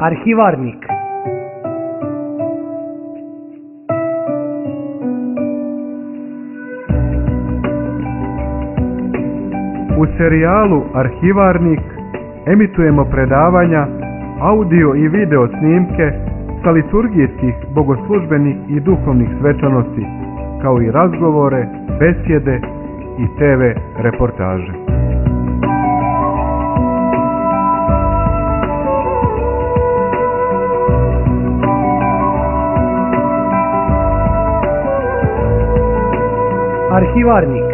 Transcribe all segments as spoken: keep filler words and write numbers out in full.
Arhivarnik. U serijalu Arhivarnik emitujemo predavanja, audio i video snimke sa liturgijskih, bogoslužbenih i duhovnih svečanosti, kao i razgovore, besjede i te ve reportaže. Arhivarnik.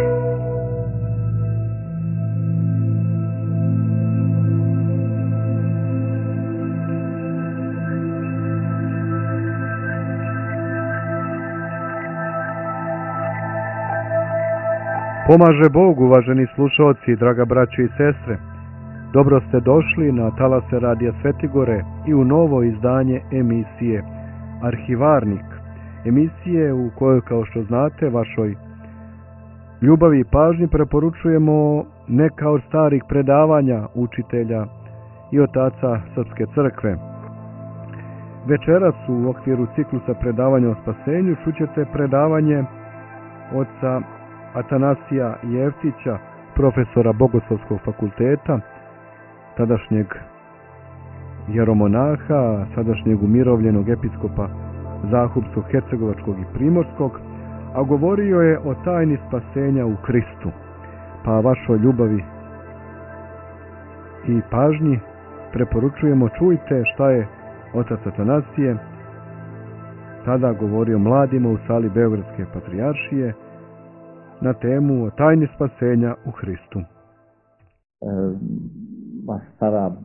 Pomaže Bog, uvaženi slušalci, draga braćo i sestre. Dobro ste došli na talase Radija Svetigore i u novo izdanje emisije Arhivarnik. Emisije u kojoj, kao što znate, vašoj ljubavi i pažnji preporučujemo neka od starih predavanja učitelja i otaca Srpske crkve. Večeras u okviru ciklusa predavanja o spasenju čućete predavanje oca Atanasija Jevtića, profesora Bogoslovskog fakulteta, tadašnjeg jeromonaha, sadašnjeg umirovljenog episkopa Zahumskog, Hercegovačkog i Primorskog, a govorio je o tajni spasenja u Hristu. Pa vašoj ljubavi i pažnji preporučujemo, čujte šta je otac Atanasije tada govorio mladima u sali Beogradske patrijaršije na temu o tajni spasenja u Hristu. E, baš sada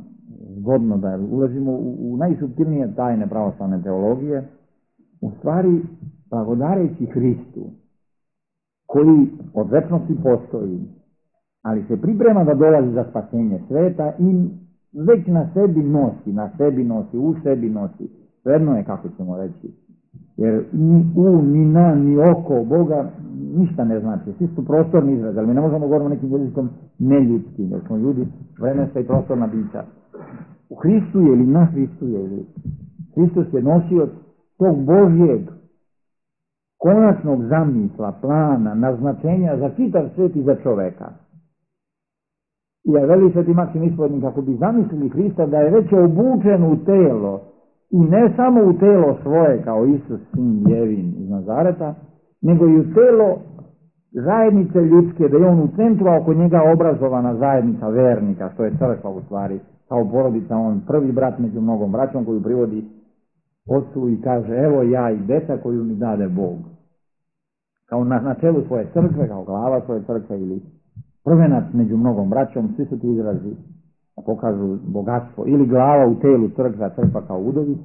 zgodno da ulazimo u, u najsuptilnije tajne pravoslavne teologije, u stvari blagodareći Hristu, koji od večnosti postoji, ali se priprema da dolazi za spasenje sveta i već na sebi nosi, na sebi nosi, u sebi nosi. Jedno je, kako ćemo reći, jer ni u, ni na, ni oko Boga ništa ne znači. Svi su prostorni izraz, ali mi ne možemo govoriti nekim jezikom neljudskim, jer smo ljudi vremenska i prostorna bića. U Hristu je ili na Hristu je, ili Hristos je nosio tog Božjeg konačnog zamisla, plana, naznačenja za čitav svijet i za čoveka. I ja veli Sveti Maksim Ispovjednik, kako bi zamislili Hrista da je već obučen u telo, i ne samo u telo svoje kao Isus, sin Jevin iz Nazareta, nego i u telo zajednice ljudske, da je on u centru, a oko njega obrazovana zajednica vernika, što je crkva u stvari, kao porodica, on prvi brat među mnogom braćom koju privodi ocu i kaže, evo ja i deca koju mi dade Bog. Kao na, na čelu svoje crkve, kao glava svoje crkve ili prvenac među mnogom braćom, svi su ti izrazi pokažu bogatstvo, ili glava u telu crkva, crkva kao udovi,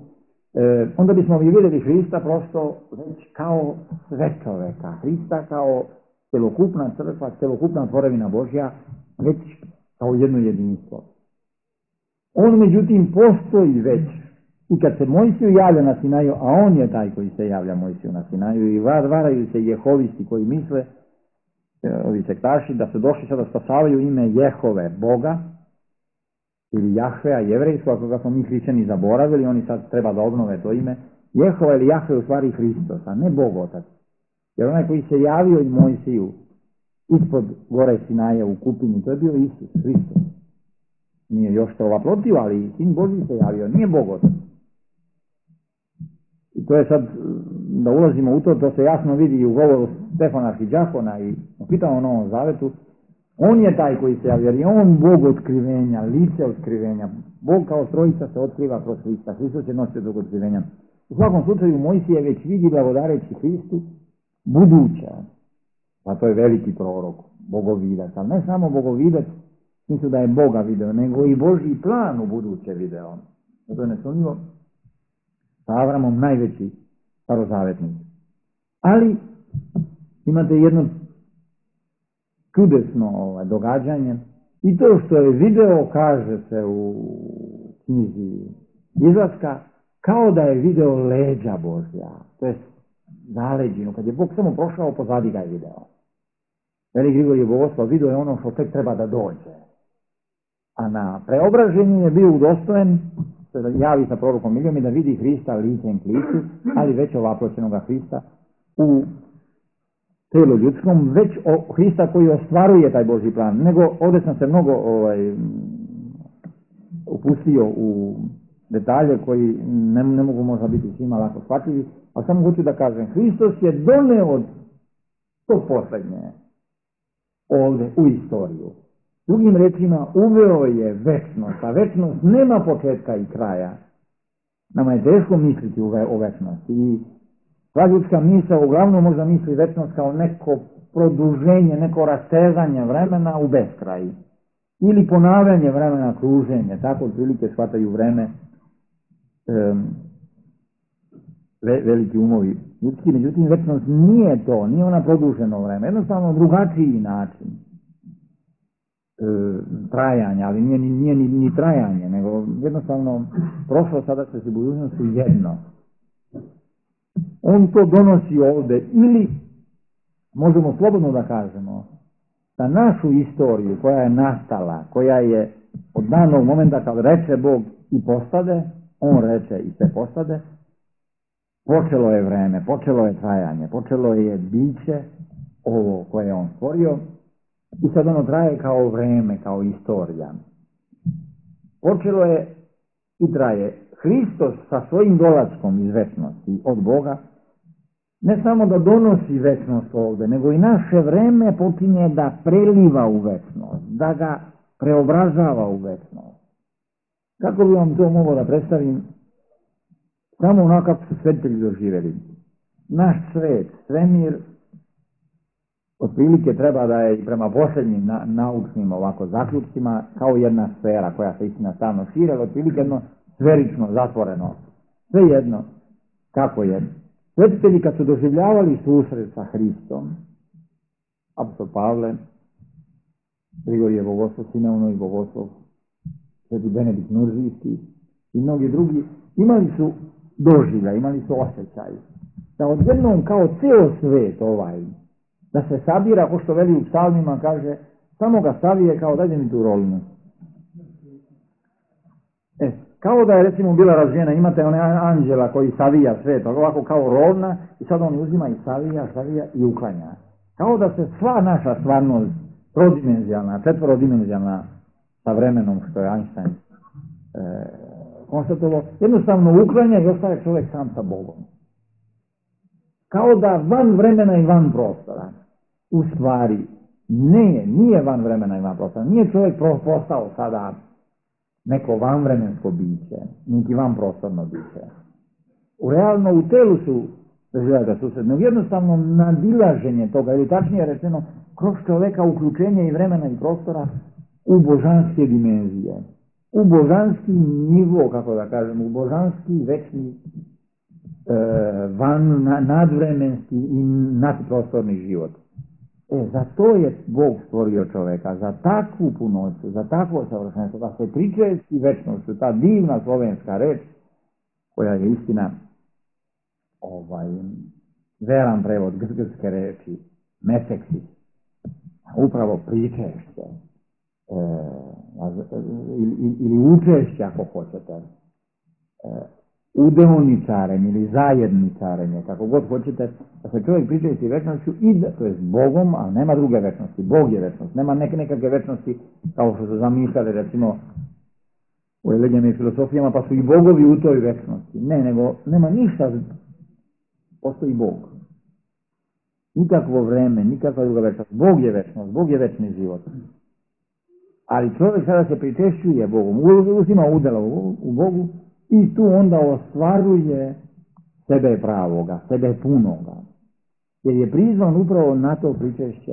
e, onda bismo mi vidjeli Hrista prosto već kao sve čoveka, Hrista kao celokupna crkva, celokupna tvorevina Božja, već kao jedno jedinstvo. On međutim postoji već i kad se Mojsiju javlja na Sinaju, a on je taj koji se javlja Mojsiju na Sinaju i varaju se jehovisti koji misle, ovi sektaši, da su došli sada spasavaju ime Jehove, Boga, ili Jahvea, jevrejsko, ako ga smo mi hrišćani zaboravili, oni sad treba da obnove to ime. Jehova ili Jahve je u stvari Hristos, a ne Bog Otac. Jer onaj koji se javio i Mojsiju ispod gore Sinaje u kupini, to je bio Isus, Hristos. Nije još to ovaprotio, ali Sin Božji se javio, nije Bog Otac. I to je sad, da ulazimo u to, to se jasno vidi i u govoru Stefana Arhiđakona i pitamo o Novom Zavetu. On je taj koji se javlja, jer je on Bog otkrivenja, lice otkrivenja. Bog kao trojica se otkriva kroz Hrista. Hristos je nosio tog otkrivenja. U svakom slučaju Mojsije već vidi, blagodareći Hristu, buduća. Pa to je veliki prorok, bogovidac. Ali ne samo bogovidac, misli da je Boga video, nego i Božji plan u buduće video. To je nesumnjivo sa Avramom najveći starozavetnik. Ali imate jedno čudesno ovaj, događanje i to što je video, kaže se u knjizi Izlaska, kao da je video leđa Božja, to je zaleđinu, kad je Bog samo prošao, pozadi ga je video. Veliki Grigorije Bogoslov video je ono što tek treba da dođe. A na preobraženju je bio udostojen se javi sa prorokom Ilijom i da vidi Hrista licem k licu, ali već ovaploćenoga Hrista u tijelu ljudskom, već o Hrista koji ostvaruje taj Božji plan. Nego ovdje sam se mnogo ovaj, upustio u detalje koji ne, ne mogu možda biti svima lako shvatljivi, a samo hoću da kažem, Hristos je doneo to posljednje ovdje u istoriju. Drugim rečima, uveo je večnost, a večnost nema početka i kraja. Nama je teško misliti o večnosti i sva ljudska misla uglavnom možda misli večnost kao neko produženje, neko rastezanje vremena u beskraj. Ili ponavljanje vremena, kruženje, tako otprilike shvataju vreme um, ve, veliki umovi ljudski. Međutim, večnost nije to, nije ona produženo vreme, jednostavno drugačiji način e, trajanja, ali nije, nije ni, ni trajanje, nego jednostavno prošlo, sada se budućnost su jedno. On to donosi ovdje, ili možemo slobodno da kažemo da našu istoriju koja je nastala, koja je od danog momenta kad reče Bog i postade, on reče i sve postade, počelo je vreme, počelo je trajanje, počelo je biće ovo koje je on stvorio i sad ono traje kao vreme, kao istorija. Počelo je i traje. Hristos sa svojim dolaskom iz večnosti od Boga ne samo da donosi večnost ovdje, nego i naše vreme počinje da preliva u večnost, da ga preobrazava u večnost. Kako bi vam to mogao da predstavim? Samo onako kako su svetitelji doživjeli. Naš svet, svemir, otprilike treba da je i prema posljednjim na, naučnim ovako zaključcima kao jedna sfera koja se istina stavno šire, ali otprilike jedno sferično, zatvoreno. Sve jedno, kako je. Svetitelji kad su doživljavali susret sa Hristom, apostol Pavle, Grigorije Bogoslov, Simeonovi Bogoslov, Sveti Benedikt Nuržijski i mnogi drugi, imali su doživljaj, imali su osjećaj. Da odjednom kao ceo svet ovaj, da se sabira, ko što veli u psalmima, kaže, samo ga savije kao dajde mi tu rolnu. E, kao da je recimo bila razvijena, imate one anđela koji savija svet, ovako kao rovna, i sad on uzima i savija, savija i uklanja. Kao da se sva naša stvarnost, trodimenzionalna, četvorodimenzionalna, sa vremenom što je Einstein e, konstatovao, jednostavno uklanja i ostaje čovjek sam sa Bogom. Kao da van vremena i van prostora. U stvari, ne, nije van vremena i van prostora. Nije čovjek postao sada neko vanvremensko biće, niti van prostorno biće. U realno u telu su doživljaju susretno, jednostavno nadilaženje toga, ili tačnije rečeno, kroz čovjeka uključenje i vremena i prostora u božanske dimenzije, u božanski nivo, kako da kažem, u božanski večni e, van, na, nadvremenski i nadprostorni život. E, za to je Bog stvorio čoveka, za takvu punoću, za takvo savršenstvo, da se pričesti večnošću, ta divna slovenska reč, koja je istina ovaj, veran prevod grčke reči, meseksi, upravo pričešće, e, ili, ili učešće ako hoćete, e, udeoničarenje ili zajedničarenje, kako god hoćete, da se čovjek pričesti večnošću i da, to je s Bogom, ali nema druge večnosti, Bog je večnost, nema neke, nekakve večnosti kao što su zamišljali recimo u religijama i filosofijama, pa su i bogovi u toj večnosti. Ne, nego nema ništa, postoji Bog. Nikakvo vreme, nikakva druga večnost. Bog je večnost, Bog je večni život. Ali čovjek sada se pričešćuje Bogom, uzima udjela u Bogu i tu onda ostvaruje sebe pravoga, sebe punoga. Jer je prizvan upravo na to pričešće,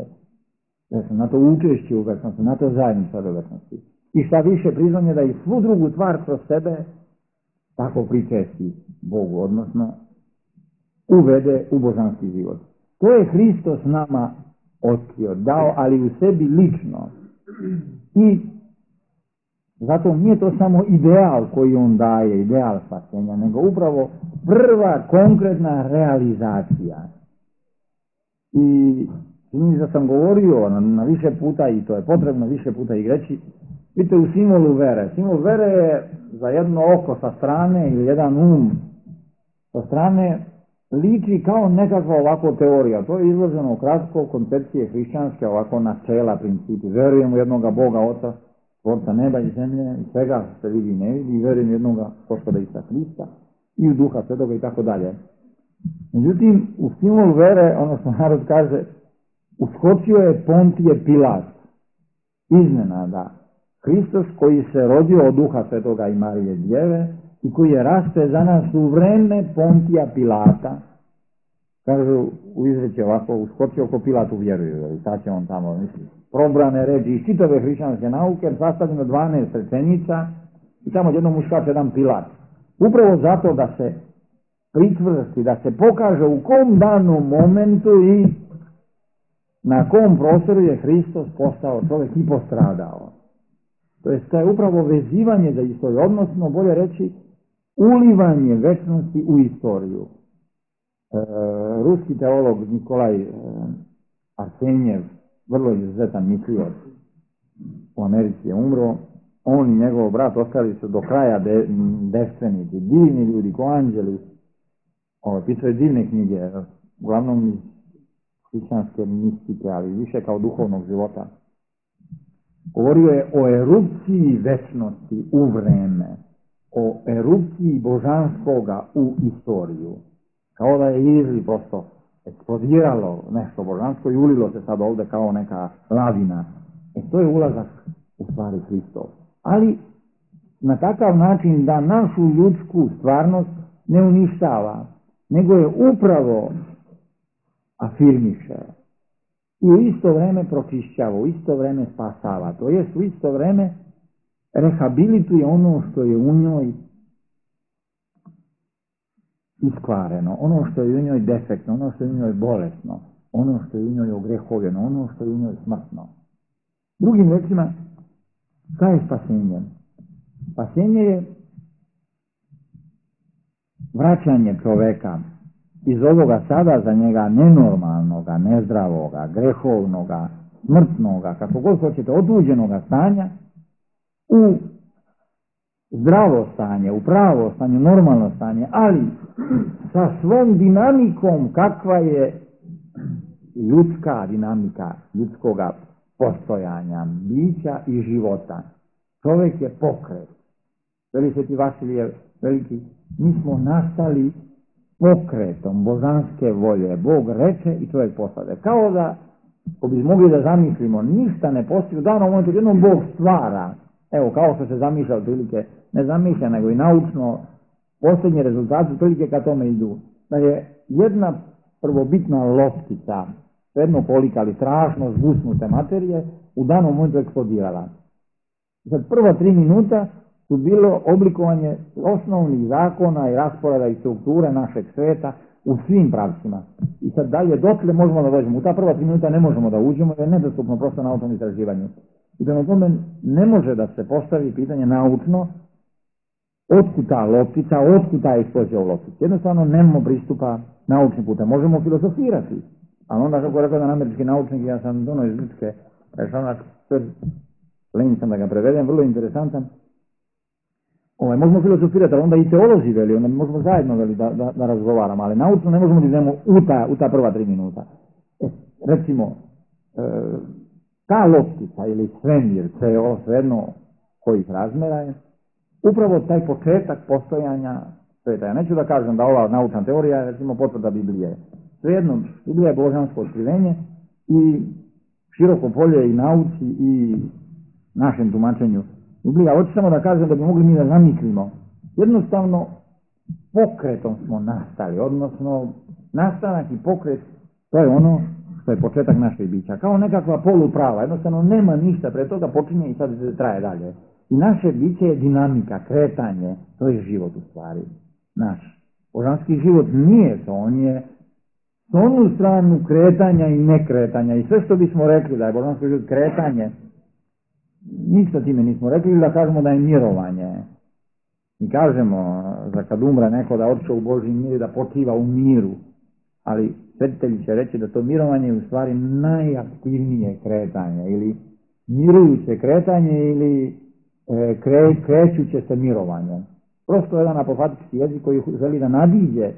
na to učešće u večnosti, na to zajedništvo u večnosti. I šta više, prizvan je da i svu drugu tvar kroz sebe tako pričesti Bogu, odnosno uvede u božanski život. To je Hristos nama otkrio, dao, ali u sebi lično. I zato nije to samo ideal koji on daje, ideal spasenja, nego upravo prva konkretna realizacija. I čini da sam govorio na, na više puta, i to je potrebno više puta i reći, Vidite, u simbolu vere. Simbol vere je za jedno oko sa strane ili jedan um sa strane liči kao nekakva ovako teorija. To je izloženo kratko koncepcije hrišćanske, ovako načela, principi. Verujem u jednoga Boga Oca, Tvorca neba i zemlje i svega se vidi i ne vidi, i verujem u jednoga Gospoda Isusa Hrista i u Duha Svetoga i tako dalje. Međutim, u simbolu vere, ono što narod kaže, uskočio je Pontije Pilat. Iznenada. Hristos koji se rodio od Duha Svetoga i Marije Djeve i koji je raste za nas u vreme Pontija Pilata, kažu u izreći ovako, uskočio ko Pilatu vjeruju, i sad će on tamo, misli, probrane reči iz čitave hrišćanske nauke, sastavljeno dvanaest rečenica i tamo jednom uskače jedan Pilat. Upravo zato da se pritvrsti, da se pokaže u kom danom momentu i na kom prostoru je Hristos postao čovjek i postradao. To je, to je upravo vezivanje za istoriju, odnosno, bolje reći, ulivanje večnosti u istoriju. E, ruski teolog Nikolaj e, Arsenjev, vrlo izuzetan mislioc, u Americi je umro, on i njegov brat ostali su do kraja de, devstvenici, divni ljudi, ko anđeli. Ovo, pisao je divne knjige, uglavnom iz hrišćanske mistike, ali više kao duhovnog života. Govorio je o erupciji večnosti u vreme, o erupciji božanskoga u istoriju. Kao da je izli prosto eksplodiralo nešto božansko i ulilo se sad ovdje kao neka lavina. E to je ulazak u stvari Hristov. Ali na takav način da našu ljudsku stvarnost ne uništava, nego je upravo afirmiše. I u isto vreme pročišćava, u isto vreme spasava. To jest u isto vreme rehabilituje ono što je u njoj iskvareno, ono što je u njoj defektno, ono što je u njoj bolesno, ono što je u njoj ogrehovljeno, ono što je u njoj smrtno. Drugim rečima, šta je spasenje? Spasenje je vraćanje čoveka iz ovoga sada za njega nenormalnoga, nezdravoga, grehovnoga, smrtnoga, kako god hoćete, otuđenoga stanja u zdravo stanje, u pravo stanje, normalno stanje, ali sa svom dinamikom kakva je ljudska dinamika ljudskoga postojanja, bića i života. Čovjek je pokret. Veli Sveti Vasilije Veliki, mi smo nastali pokretom božanske volje. Bog reče i čovjek postade. Kao da, ko bi mogli da zamislimo, ništa ne postoji, u danom momentu jednom Bog stvara. Evo, kao što se zamišlja otprilike, ne zamišlja, nego i naučno, posljednji rezultati otprilike ka tome idu. Da je jedna prvobitna loptica, jedno kolika, ali strašno zgusnute materije, u danom momentu eksplodirala. Sad prva tri minuta su bilo oblikovanje osnovnih zakona i rasporeda i strukture našeg sveta u svim pravcima. I sad dalje, dotle možemo da dođemo. U ta prva tri minuta ne možemo da uđemo, jer je nedostupno prosto naučnom istraživanju. I prema tome ne može da se postavi pitanje naučno otkud ta loptica, otkud ta eksplozija u loptici. Jednostavno nemamo pristupa naučnim putem. Možemo filozofirati, ali onda kako rekao jedan američki naučnik, ja sam dono iz Grčke, rešavnak, lenj sam da ga prevedem, vrlo interesantan. Ovaj, možemo filozofirati, ali onda i teolozi veli, onda možemo zajedno veli da, da, da razgovaramo, ali naučno ne možemo da idemo u ta, u ta prva tri minuta. E, recimo, e, ta loptica ili svemir, ceo, svejedno kojih razmera je, upravo taj početak postojanja sveta. Ja neću da kažem da ova naučna teorija je recimo potvrda Biblije. Svejedno, Biblija je božansko otkrivenje i široko polje i nauci i našem tumačenju Biblija. Hoću samo da kažem da bi mogli mi da zamislimo. Jednostavno, pokretom smo nastali, odnosno nastanak i pokret, to je ono što je početak našeg bića. Kao nekakva poluprava, jednostavno nema ništa, pre toga počinje i sad traje dalje. I naše biće je dinamika, kretanje, to je život u stvari, naš. Božanski život nije to, on je s onu stranu kretanja i nekretanja. I sve što bismo rekli da je božanski život kretanje, ništa time nismo rekli, ili da kažemo da je mirovanje. Mi kažemo da kad umre neko da otišao u Božji mir, da počiva u miru. Ali svetitelji će reći da to mirovanje je u stvari najaktivnije kretanje, ili mirujuće kretanje, ili e, kre, krećuće se mirovanje. Prosto jedan apofatički jezik koji želi da nadiđe,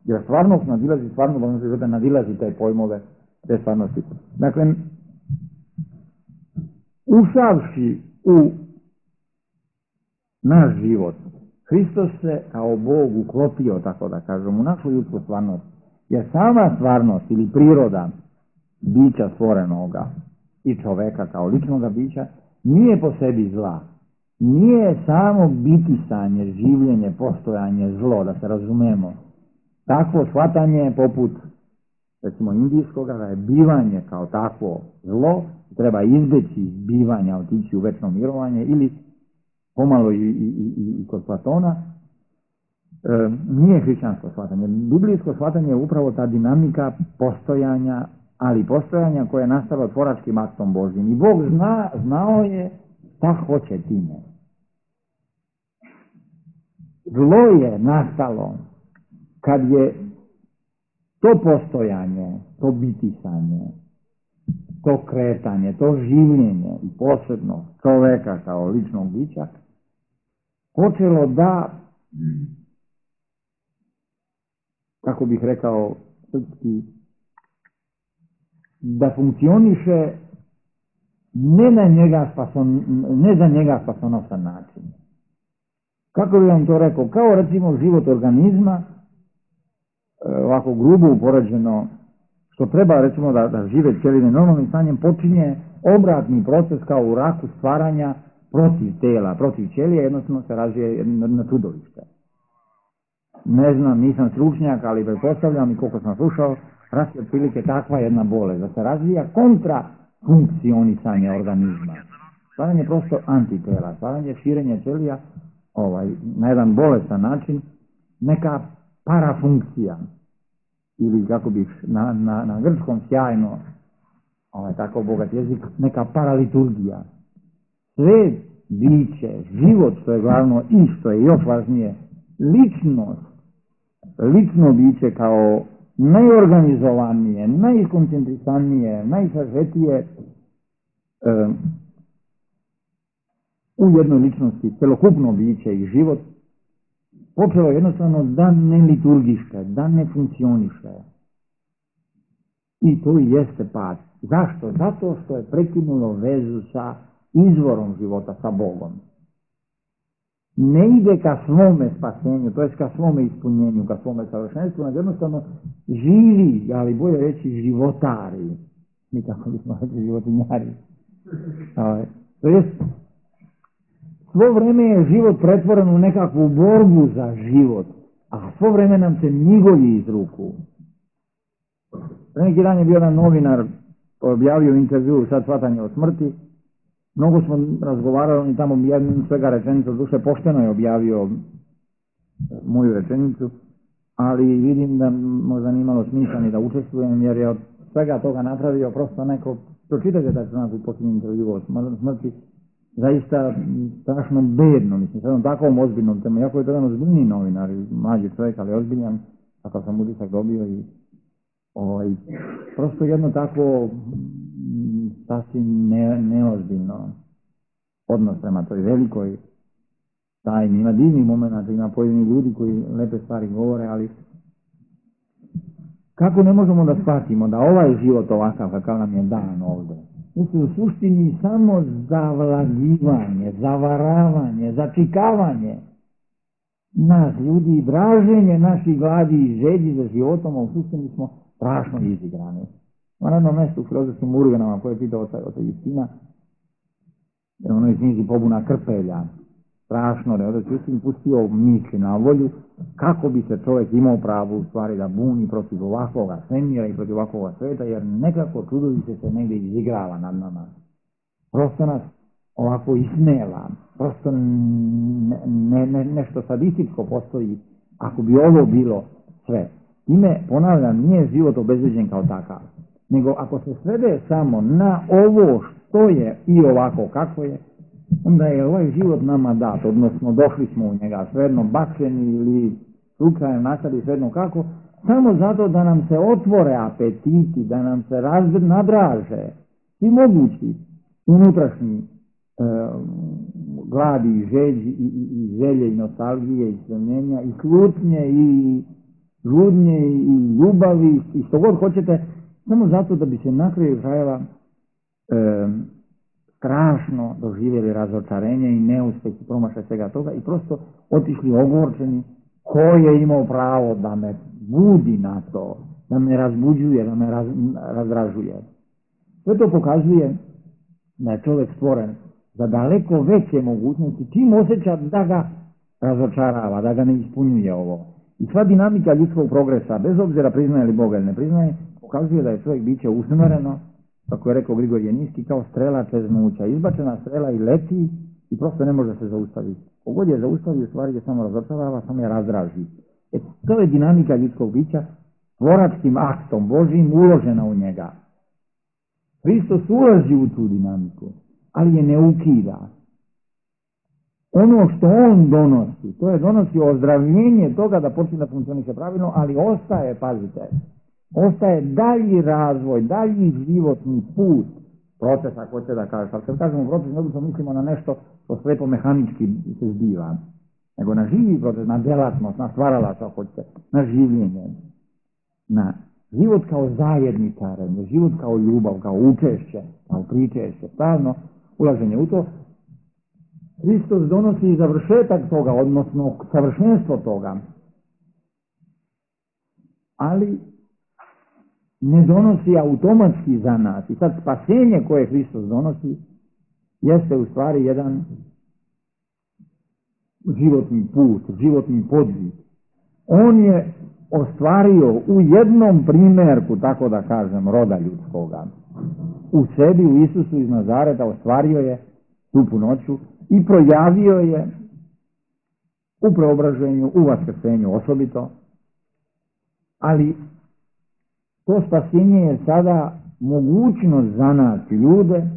jer stvarnost nadilazi, stvarno da nadilazi te pojmove, te stvarnosti. Dakle, ušavši u naš život, Hristos se kao Bog uklopio, tako da kažem, u našu ljudsku stvarnost. Jer sama stvarnost ili priroda bića stvorenoga i čoveka kao ličnoga bića nije po sebi zla. Nije samo bitisanje, življenje, postojanje zlo, da se razumemo. Takvo shvatanje je poput, recimo, indijskoga, da je bivanje kao takvo zlo, treba izbeći bivanja, otići u večno mirovanje, ili pomalo i, i, i, i kod Platona, e, nije hrišćansko shvatanje. Biblijsko shvatanje je upravo ta dinamika postojanja, ali postojanja koje je nastalo tvoračkim aktom Božjim. I Bog zna, znao je šta hoće time. Zlo je nastalo kad je to postojanje, to bitisanje, to kretanje, to življenje i posebno čoveka kao ličnog bića počelo da, kako bih rekao srpski, da funkcioniše ne, na njega spason, ne za njega spasonosan način. Kako bih vam to rekao? Kao recimo život organizma, ovako grubo upoređeno, što treba recimo da, da žive ćelije normalnim stanjem, počinje obratni proces kao u raku stvaranja protiv tela, protiv ćelije, jednostavno se razvije na čudovište. Ne znam, nisam stručnjak, ali pretpostavljam i koliko sam slušao, rast je otprilike takva jedna bolest, da se razvija kontra funkcionisanje organizma. Stvaranje prosto antitela, stvaranje širenje ćelija ovaj, na jedan bolestan način, neka parafunkcija, ili kako bih na, na, na grčkom sjajno, ovaj, tako bogat jezik, neka paraliturgija. Sve biće, život što je glavno i što je još važnije, ličnost, lično biće kao najorganizovanije, najkoncentrisanije, najsažetije e, u jednoj ličnosti, celokupno biće i život, počelo jednostavno da ne liturgiše, da ne funkcioniše. I to i jeste pad. Zašto? Zato što je prekinulo vezu sa izvorom života, sa Bogom. Ne ide ka svome spasenju, to je ka svome ispunjenju, ka svome savršenstvu, nego jednostavno živi, ali bolje reći životari. Nikako bismo rekli životinjari. To jest, svo vreme je život pretvoren u nekakvu borbu za život, a svo vreme nam se migolji iz ruku. Pre neki dan je bio jedan novinar, objavio intervju, sad shvatanje o smrti. Mnogo smo razgovarali, on je tamo jednu svega rečenicu, duše pošteno je objavio moju rečenicu, ali vidim da možda nije imalo smisla ni da učestvujem, jer je od svega toga napravio prosto neko, pročitajte da se nas u posljednjem intervju o smrti, zaista strašno bedno, mislim, sad on takvom ozbiljnom temu, jako je to jedan ozbiljni novinar, mlađi čovjek, ali ozbiljan, tako sam utisak dobio i ovaj, prosto jedno tako sasvim ne, neozbiljno odnos prema toj velikoj tajni. Ima divnih momenta, ima pojedini ljudi koji lepe stvari govore, ali kako ne možemo da shvatimo da ovaj život ovakav kakav nam je dan ovdje, mislim u suštini samo zavlađivanje, zavaravanje, začikavanje nas ljudi i draženje naših gladi i želji za životom, a u suštini smo strašno izigrani. Na jednom mjestu u filozofskim urgenama koje je pitao od Justina, je ono iz knjizi Pobuna Krpelja, strašno da je od Justin pustio misli na volju kako bi se čovjek imao pravo u stvari da buni protiv ovakvoga svemira i protiv ovakvoga sveta, jer nekako čudovište se negdje izigrava nad nama. Prosto nas ovako ismela, prosto ne, ne, nešto sadističko postoji ako bi ovo bilo sve. Time, ponavljam, nije život obezbeđen kao takav, nego ako se svede samo na ovo što je i ovako kako je, onda je ovaj život nama dat, odnosno došli smo u njega, svejedno bačeni ili slučajem nastali, svejedno kako, samo zato da nam se otvore apetiti, da nam se raz, nadraže i mogući unutrašnji e, gladi i žeđi i, i, i želje i nostalgije i stremljenja i slutnje i žudnje i ljubavi i što god hoćete, samo zato da bi se na kraju krajeva e, strašno doživjeli razočarenje i neuspeh i promašaj svega toga i prosto otišli ogorčeni. Ko je imao pravo da me budi na to, da me razbuđuje, da me raz, razdražuje. Sve to pokazuje da je čovjek stvoren za daleko veće mogućnosti, čim osjeća da ga razočarava, da ga ne ispunjuje ovo. I sva dinamika ljudskog progresa, bez obzira priznaje li Boga ili ne priznaje, pokazuje da je čovjek biće usmjereno, kako je rekao Grigorije Niski, kao strela čeznuća. Izbačena strela i leti i prosto ne može se zaustaviti. Kogod je zaustavi, u stvari je samo razočarava, samo je razdraži. E, to je dinamika ljudskog bića, tvoračkim aktom Božjim uložena u njega. Hristos ulazi u tu dinamiku, ali je ne ukida. Ono što on donosi, to je donosi ozdravljenje toga da počne da funkcioniše pravilno, ali ostaje, pazite, ostaje dalji razvoj, dalji životni put, proces, ako hoće da kažeš. Ali kad kažemo proces, ne mislimo na nešto što slepo mehanički se zbiva, nego na živi proces, na delatnost, na stvaralac, ako hoćete, na življenje, na život kao zajedničarenje, život kao ljubav, kao učešće, kao pričešće, stalno ulaženje u to. Hristos donosi završetak toga, odnosno savršenstvo toga, ali ne donosi automatski za nas. I sad spasenje koje Hristos donosi jeste u stvari jedan životni put, životni podvig. On je ostvario u jednom primjerku, tako da kažem, roda ljudskoga. U sebi, u Isusu iz Nazareta, ostvario je tu punoću i projavio je u preobraženju, u vaskrsenju osobito, ali to spasenje je sada mogućnost za nas ljude,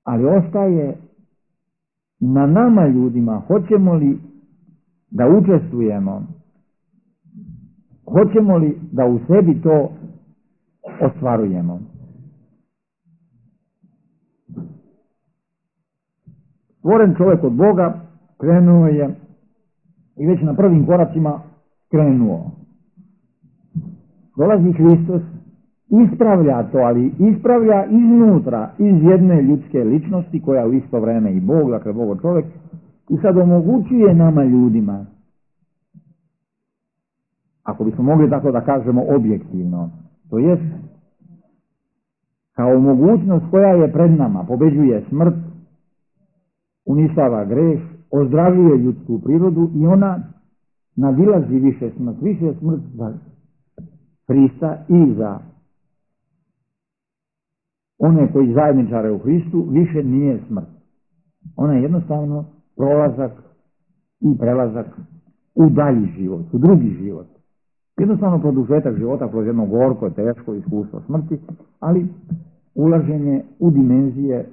ali ostaje na nama ljudima, hoćemo li da učestvujemo, hoćemo li da u sebi to ostvarujemo. Stvoren čovjek od Boga krenuo je i već na prvim koracima krenuo. Dolazi Hristos, ispravlja to, ali ispravlja iznutra, iz jedne ljudske ličnosti koja u isto vreme i Bog, dakle Bog čovjek, i sad omogućuje nama ljudima, ako bismo mogli tako da kažemo objektivno, to jest kao mogućnost koja je pred nama, pobeđuje smrt, uništava greh, ozdravljuje ljudsku prirodu i ona nadilazi više smrt, više smrt za Hrista i za one koji zajedničare u Hristu, više nije smrt. Ona je jednostavno prolazak i prelazak u dalji život, u drugi život. Jednostavno produžetak života kroz jedno gorko, teško iskustvo smrti, ali ulaženje u dimenzije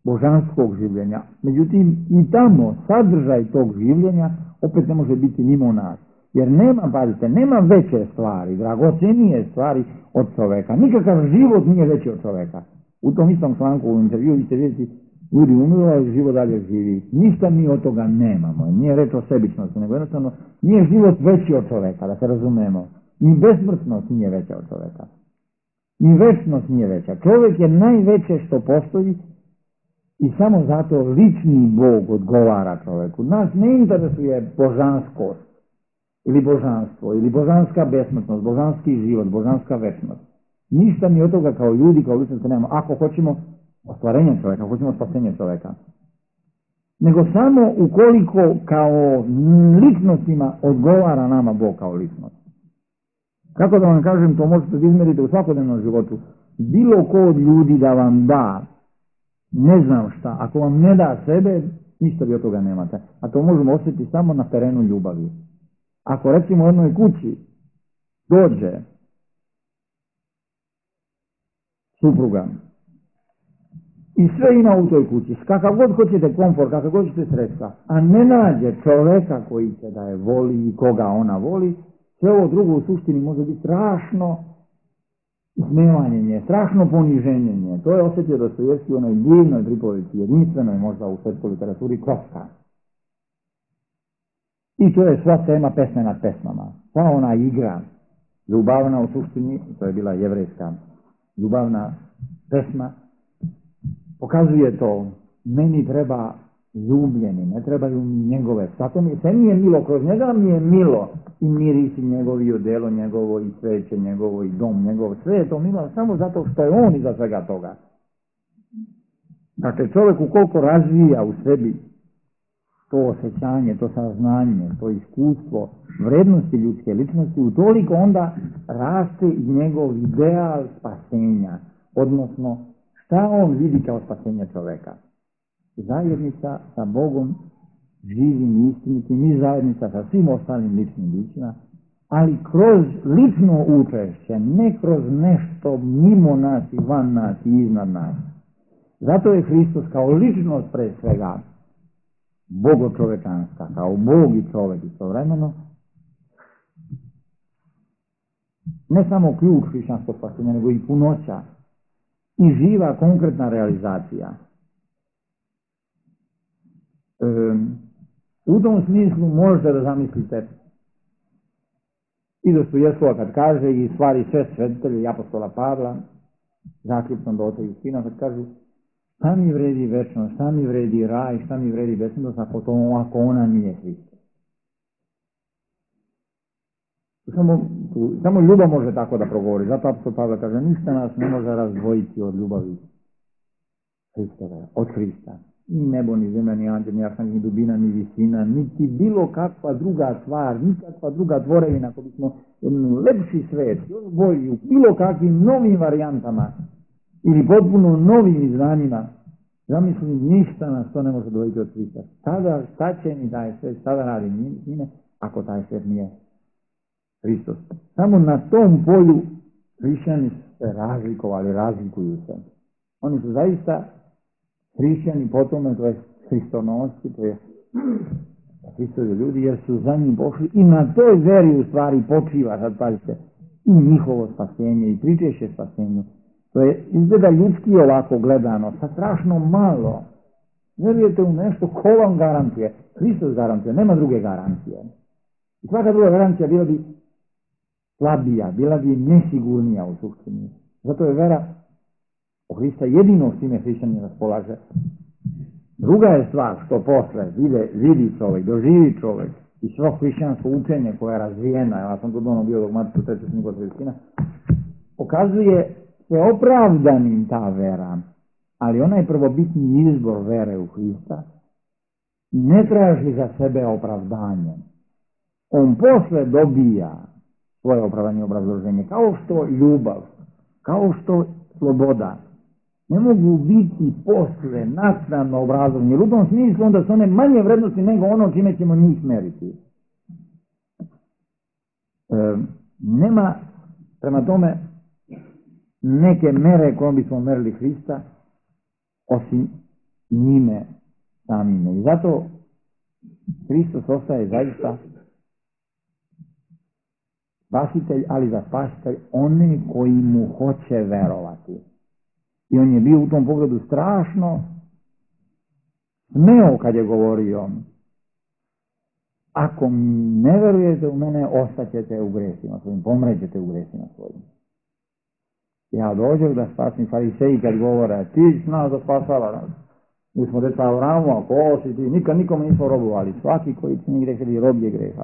božanskog življenja. Međutim, i tamo sadržaj tog življenja opet ne može biti mimo nas. Jer nema, pazite, nema veće stvari, dragocenije stvari od čoveka. Nikakav život nije veći od čoveka. U tom istom članku u intervju vi ćete vidjeti, ljudi umiru, ali život dalje živi. Ništa mi od toga nemamo. Nije reč o sebičnosti, nego jednostavno nije život veći od čoveka, da se razumemo. Ni besmrtnost nije veća od čoveka. Ni večnost nije veća. Čovjek je najveće što postoji i samo zato lični Bog odgovara čovjeku. Nas ne interesuje božanskost ili božanstvo, ili božanska besmrtnost, božanski život, božanska večnost. Ništa mi od toga kao ljudi, kao ličnosti nemamo, ako hoćemo ostvarenje čovjeka, ako hoćemo spasenje čovjeka. Nego samo ukoliko kao ličnostima odgovara nama Bog kao ličnost. Kako da vam kažem, to možete da izmerite u svakodnevnom životu. Bilo ko od ljudi da vam da, ne znam šta, ako vam ne da sebe, ništa vi od toga nemate. A to možemo osjetiti samo na terenu ljubavi. Ako recimo u jednoj kući dođe supruga i sve ima u toj kući, kakav god hoćete komfort, kakav god hoćete sredstva, a ne nađe čoveka koji će da je voli i koga ona voli, sve ovo drugo u suštini može biti strašno ismevanje, strašno poniženje. To je osjetio Dostojevski u onoj divnoj pripovesti, jedinstvenoj možda u svetskoj literaturi, Kroska. I to je sva tema pesme nad pesmama. Sva ona igra, ljubavna u suštini, to je bila jevrejska ljubavna pesma, pokazuje to, meni treba ljubljeni, ne trebaju mi njegove. Zato mi, sve mi je milo, kroz njega mi je milo i mirisi njegovi, i odelo njegovo, i sveće njegovo, i dom njegov. Sve je to milo samo zato što je on iza svega toga. Dakle, čovjek ukoliko razvija u sebi to osjećanje, to saznanje, to iskustvo vrednosti ljudske ličnosti, utoliko onda raste i njegov ideal spasenja, odnosno šta on vidi kao spasenje čoveka. Zajednica sa Bogom, živim i istinitim, i zajednica sa svim ostalim ličnim bićima, ali kroz lično učešće, ne kroz nešto mimo nas i van nas i iznad nas. Zato je Hristos kao ličnost pre svega bogočovečanska, kao Bog i čovek istovremeno, ne samo ključ hrišćanskog spasenja, nego i punoća i živa konkretna realizacija. E, u tom smislu možete da zamislite i Dostojevskog kad kaže, i stvari sve svetitelje i apostola Pavla, zaključno do oca Justina, kad kažu šta mi vredi večnost, šta mi vredi raj, šta mi vredi večnost, ako, to, ako ona nije Hristos. Samo, samo ljubav može tako da progovori. Zato apostol Pavle kaže, ništa nas ne može razdvojiti od ljubavi Hristove, od Hrista. Ni nebo, ni zemlja, ni anđel, ni arhangel, ni dubina, ni visina, niti bilo kakva druga stvar, nikakva druga tvorevina, ako bismo jedan lepši svet, još bolji, u bilo kakvim novim varijantama ili potpuno novim izvanjima, zamislim, ništa nas to ne može dovesti od Hrista. Tada, šta će mi taj svet, šta radi njime, ako taj svet nije Hristos. Samo na tom polju hrišćani se razlikovali, razlikuju se. Oni su zaista hrišćani potom, to je hristonosci, to je Hristovi ljudi, jer su za njim pošli i na toj veri u stvari počiva, sad pazite, i njihovo spasenje i pričešće spasenju. To je izgleda ljudski ovako gledano, sa strašno malo. Vjerujete u nešto, ko vam garantuje? Hristos garantuje, nema druge garancije. I svaka druga garancija bila bi slabija, bila bi nesigurnija u suštini. Zato je vera o Hrista jedino s time hrišćanin raspolaže. Druga je stvar što posle vide, vidi čovjek, doživi čovjek i svo hrišćansko učenje koje je razvijeno, ja sam tu dono bio dogmatiču treću knjigu od Hristina, pokazuje se opravdanim ta vera, ali onaj prvobitni izbor vere u Hrista ne traži za sebe opravdanje. On posle dobija svoje opravdanje i obrazloženje, kao što ljubav, kao što sloboda ne mogu biti posle naknadno obrazovanje, jer u tom smislu onda su one manje vrednosti nego ono čime ćemo njih meriti. E, nema prema tome neke mere kojom bismo merili Hrista osim njime samime. I zato Hristos ostaje zaista spasitelj, ali za spasitelj one koji mu hoće verovati. I on je bio u tom pogledu strašno smeo kad je govorio, ako ne verujete u mene, ostaćete u gresima svojim, pomrećete u gresima svojim. Ja dođem da spasim, fariseji kad govore, ti si nas da spasava nas. Mi smo deca Avramu, ako si ti, nikad nikome nismo robovali, svaki koji čini greh ili rob je greha.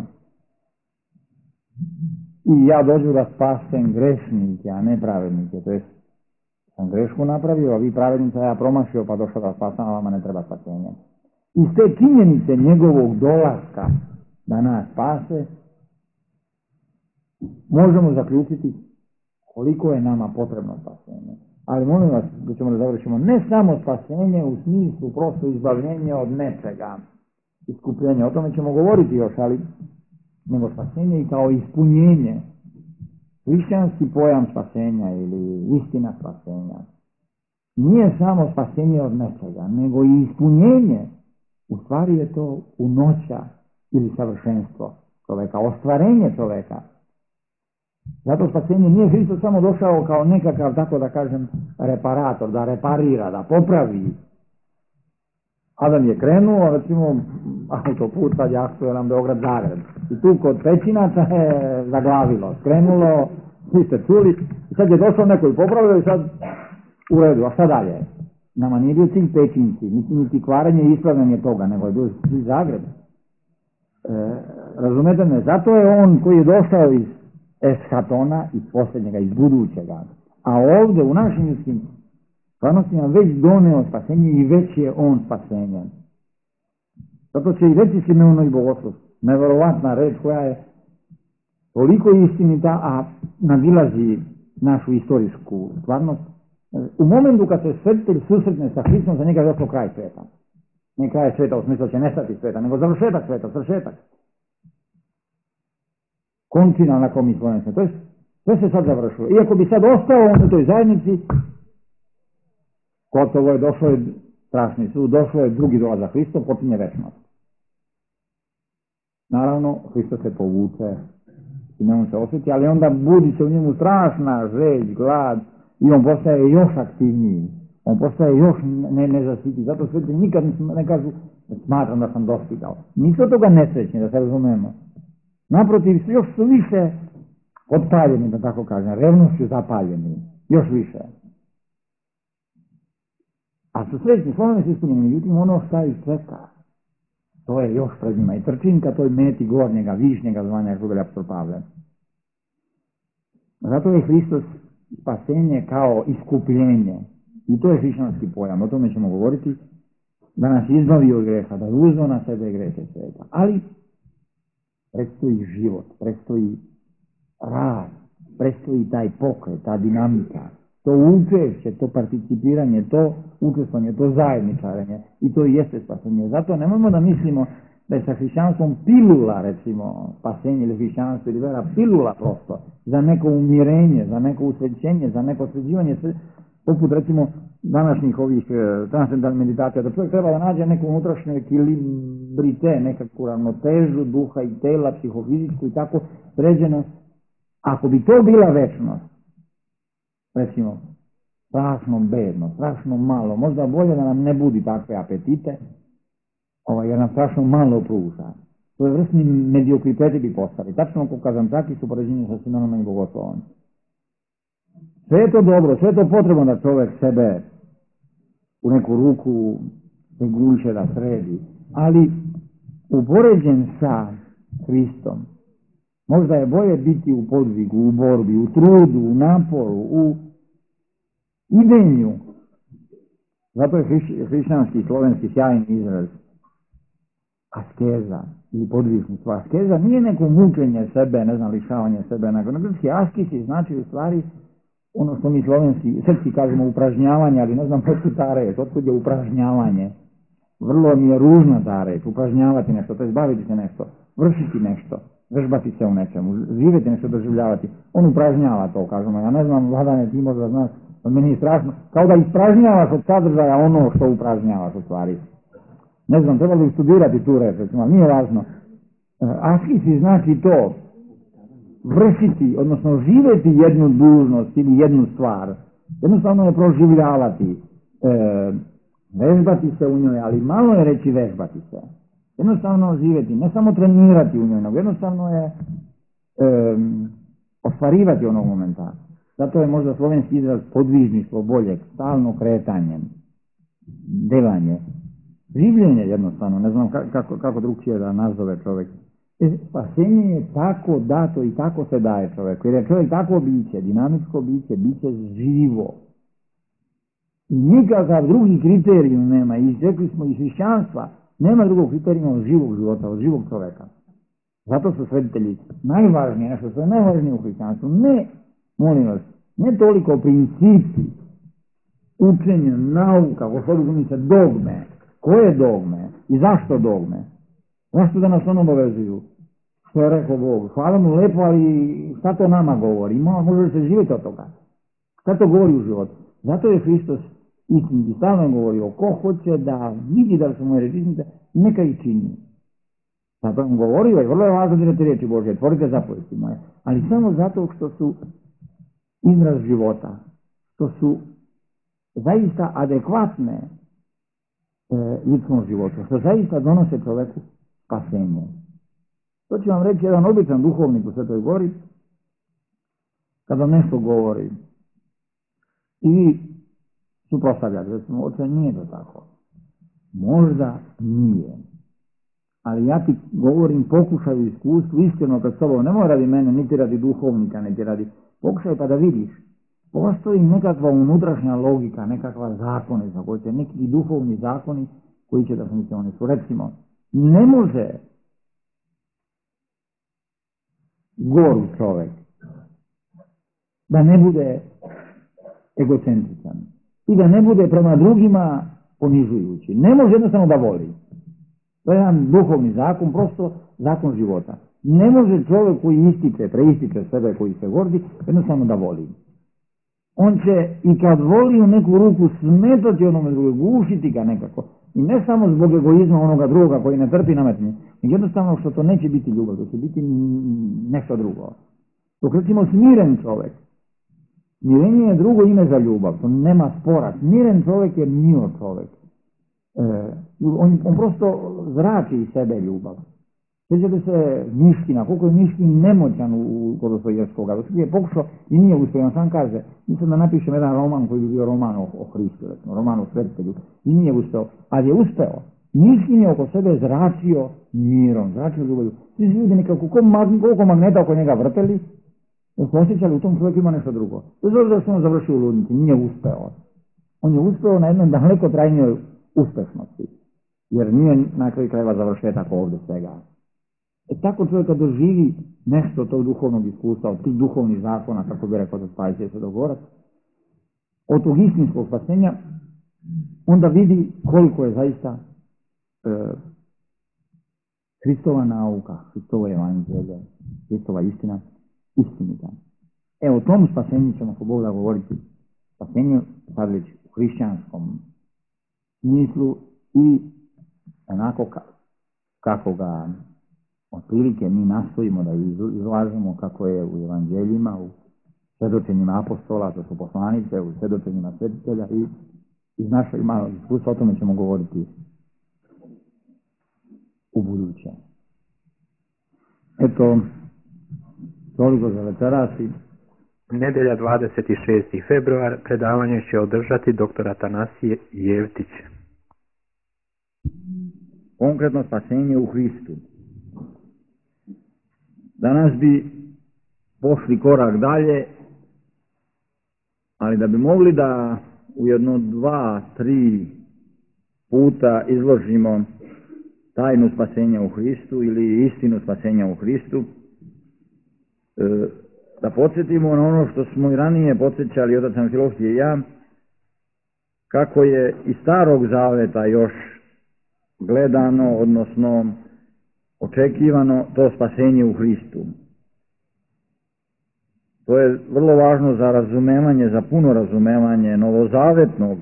I ja dođu da spasem grešnike, a ne pravednike, to jest sam grešku napravio, a vi pravednica ja promašio pa došao da spasam, a vama ne treba spasenje. Iz te činjenice njegovog dolaska da nas spase, možemo zaključiti koliko je nama potrebno spasenje. Ali molim vas, da ćemo da završimo, ne samo spasenje u smislu prosto izbavljenje od nečega, iskupljenje, o tome ćemo govoriti još, ali nego spasenje i kao ispunjenje. Hrišćanski pojam spasenja ili istina spasenja nije samo spasenje od nečega, nego i ispunjenje. U stvari je to punoća ili savršenstvo čoveka, ostvarenje čoveka. Zato spasenje nije Hristos samo došao kao nekakav, tako da kažem, reparator, da reparira, da popravi. Adam je krenuo, recimo, autoput, sad je aktuelan Beograd-Zagreb. I tu kod Pećinaca je zaglavilo, krenulo, svi ste čuli, i sad je došao neko i popravio i sad u redu, a šta dalje? Nama nije bio cilj Pećinci, niti, niti kvaranje i ispravljanje toga, nego je bio cilj Zagreb. E, razumete me, zato je on koji je došao iz eshatona, iz posljednjega, iz budućega, a ovdje u našim ljudskim stvarnostima već doneo spasenje i već je on spasenje. Zato će i reći Simeonov i Bogoslov, neverovatna reč koja je toliko istinita, a nadilazi našu istorijsku stvarnost. U momentu kad se svetitelj susretne sa Hristom, za njega je došlo kraj sveta. Ne kraj sveta u smislu će nestati sveta, nego završetak sveta, svršetak. Končina na kom mi svojim se. To je, sve se sad završilo. Iako bi sad ostao on u toj zajednici, gotovo je, došlo je strašni sud, došlo je drugi dolazak Hristov, počinje večnost. Naravno, Hristos se povuče, Simeon se osjeti, ali onda budi se u njemu strašna želj, glad, i on postaje još aktivniji, on postaje još ne, nezasiti. Zato sveti nikad ne kažu, smatram da sam dostigao. Nisu od toga nesrećni, da se razumemo. Naprotiv, još su više odpaljeni, da tako kažem, revnošću zapaljeni, još više. A su srećni, slovno se ispunjeni, međutim ono šta ih čeka, to je još pred njima. I trčinka toj meti gornjega, višnjega zvanja, kako je apostol Pavle. Zato je Hristos spasenje kao iskupljenje. I to je hrišćanski pojam, o tome ćemo govoriti, da nas izbavi od greha, da uzme na sebe grehe sveta. Ali predstoji život, predstoji rad, predstoji taj pokret, ta dinamika, to učešće, to participiranje, to učestvovanje, to zajedničarenje i to i jeste spasenje. Zato nemojmo da mislimo da je sa hrišćanstvom pilula, recimo, spasenje ili hrišćanstvo ili vera, pilula prosto, za neko umirenje, za neko usrećenje, za neko sređivanje, poput recimo današnjih ovih transcendentalnih meditacija, da čovjek treba da nađe neku unutrašnju ekilibrite, nekakvu ravnotežu duha i tela, psihofizičku i tako sređeno. Ako bi to bila večnost, recimo, strašno bedno, strašno malo, možda bolje da nam ne budi takve apetite, ovaj, jer nam strašno malo pruža. To je vrstni mediokriteti bi postali. Tačno ko Kazančaki su poređenje sa Simeonom i Bogoslovom. Sve je to dobro, sve je to potrebno da čovjek sebe u neku ruku reguliše, da sredi, ali upoređen sa Hristom, možda je bolje biti u podvigu, u borbi, u trudu, u naporu, u idenju. Zato je hrišćanski, slovenski sjajni izraz askeza ili podvižništvo. Askeza nije neko mučenje sebe, ne znam, lišavanje sebe, nego na grčki askisi znači u stvari ono što mi slovenski, srpski kažemo upražnjavanje, ali ne znam potkud ta reč, otkud je upražnjavanje. Vrlo mi je ružna ta reč, upražnjavati nešto, to je zbaviti se nešto, vršiti nešto, vežbati se u nečemu, živjeti nešto, doživljavati. On upražnjava to, kažemo. Ja ne znam, Vladane, ti možda znaš, meni je strašno, kao da ispražnjavaš od sadržaja ono što upražnjavaš u stvari. Ne znam, trebalo bi studirati tu reč, recimo, nije važno. Askisi znači to, vršiti, odnosno živjeti jednu dužnost ili jednu stvar, jednostavno je proživljavati, e, vežbati se u njoj, ali malo je reći vežbati se. Jednostavno živjeti, ne samo trenirati u njoj, nego jednostavno je e, ostvarivati onog momenta. Zato je možda slovenski izraz podvižništvo boljeg, stalno kretanje, delanje, življenje jednostavno, ne znam kako, kako drugčije da nazove čovjek. Spasenje je tako dato i tako se daje čovjeku, jer je čovjek tako biće, dinamičko biće, biće živo. I nikakav drugi kriterijum nema, i rekli smo iz hrišćanstva, nema drugog kriterijuma od živog života, od živog čovjeka. Zato su svetitelji najvažnije, nešto što je najvažnije u hrišćanstvu, ne, molim vas, ne toliko principi, učenje, nauka, gospodinu se dogme. Koje dogme i zašto dogme? Zašto da nas ono obavezuju? Što je rekao Bog? Hvala mu lepo, ali šta to nama govori? Može li se živjeti od toga? Šta to govori u životu? Zato je Hristos istinski stalno govorio, ko hoće da vidi da su moje režisnice, neka ih čini. Zato vam govorio, i vrlo je važno dirati riječi Božje, tvorite zapovesti moje, ali samo zato što su izraz života, što su zaista adekvatne e, ljudskom životu, što zaista donose čoveku spasenje. To će vam reći jedan običan duhovnik u Svetoj Gori, kada nešto govori i vi suprotstavljate, recimo, oče, nije to tako. Možda nije. Ali ja ti govorim, pokušaj u iskustvu, iskreno kad s tobom, nemoj radi mene, niti radi duhovnika, niti radi, pokušaj pa da vidiš. Postoji nekakva unutrašnja logika, nekakva zakone, za koje će neki duhovni zakoni koji će da funkcionišu. Su, recimo, ne može goru čovek da ne bude egocentričan i da ne bude prema drugima ponižujući. Ne može jednostavno da voli. To je jedan duhovni zakon, prosto zakon života. Ne može čovjek koji ističe, preističe sebe, koji se gordi, jednostavno da voli. On će i kad voli u neku ruku smetati onome drugog, gušiti ga nekako. I ne samo zbog egoizma onoga drugoga koji ne trpi nametnje, nego jednostavno što to neće biti ljubav, to će biti nešto drugo. Dok recimo smiren čovjek, smirenje je drugo ime za ljubav, to nema spora. Smiren čovjek je mio čovjek. E, on, on prosto zrači iz sebe ljubav. Sjećate se Miškina, koliko je Miškin nemoćan u kod Dostojevskoga. Dostojevski je pokušao i nije uspio, on sam kaže, mislim da napišem jedan roman koji bi bio roman o, o Hristu, recimo, roman o svetitelju, i nije uspeo, ali je uspeo. Miškin je oko sebe zračio mirom, zračio ljubavlju. Svi ljudi nekako, koliko magneta oko njega vrteli, da su osjećali u tom čovjeku ima nešto drugo. Bez obzira što on završio u ludnici, nije uspeo. On je uspeo na jednom daleko trajnijoj uspešnosti, jer nije na kraju krajeva završetak ovdje svega. E tako čovjek kad doživi nešto tog duhovnog iskustva, od tih duhovnih zakona, kako bi rekao da Spajsije se dogovorac, od tog istinskog spasenja, onda vidi koliko je zaista e, Hristova nauka, Hristovo evanđelje, Hristova istina, istinita. E, o tom spasenju ćemo po Bogu da govoriti. Spasenju, sad već u hrišćanskom smislu i onako ka, kako ga otprilike mi nastojimo da izlažemo, kako je u evanđeljima, u svjedočenjima apostola, to su poslanice, u svjedočenjima svetitelja i iz našeg malog iskustva, o tome ćemo govoriti u buduće. Eto, toliko za večeras. Nedelja dvadeset šesti februar predavanje će održati doktor Atanasije Jevtić. Konkretno spasenje u Hristu. Danas bi pošli korak dalje, ali da bi mogli da u jedno, dva, tri puta izložimo tajnu spasenja u Hristu ili istinu spasenja u Hristu, da podsjetimo na ono što smo i ranije podsjećali otac Amfilohije i ja, kako je iz Starog Zaveta još gledano, odnosno očekivano to spasenje u Hristu. To je vrlo važno za razumevanje, za puno razumevanje novozavetnog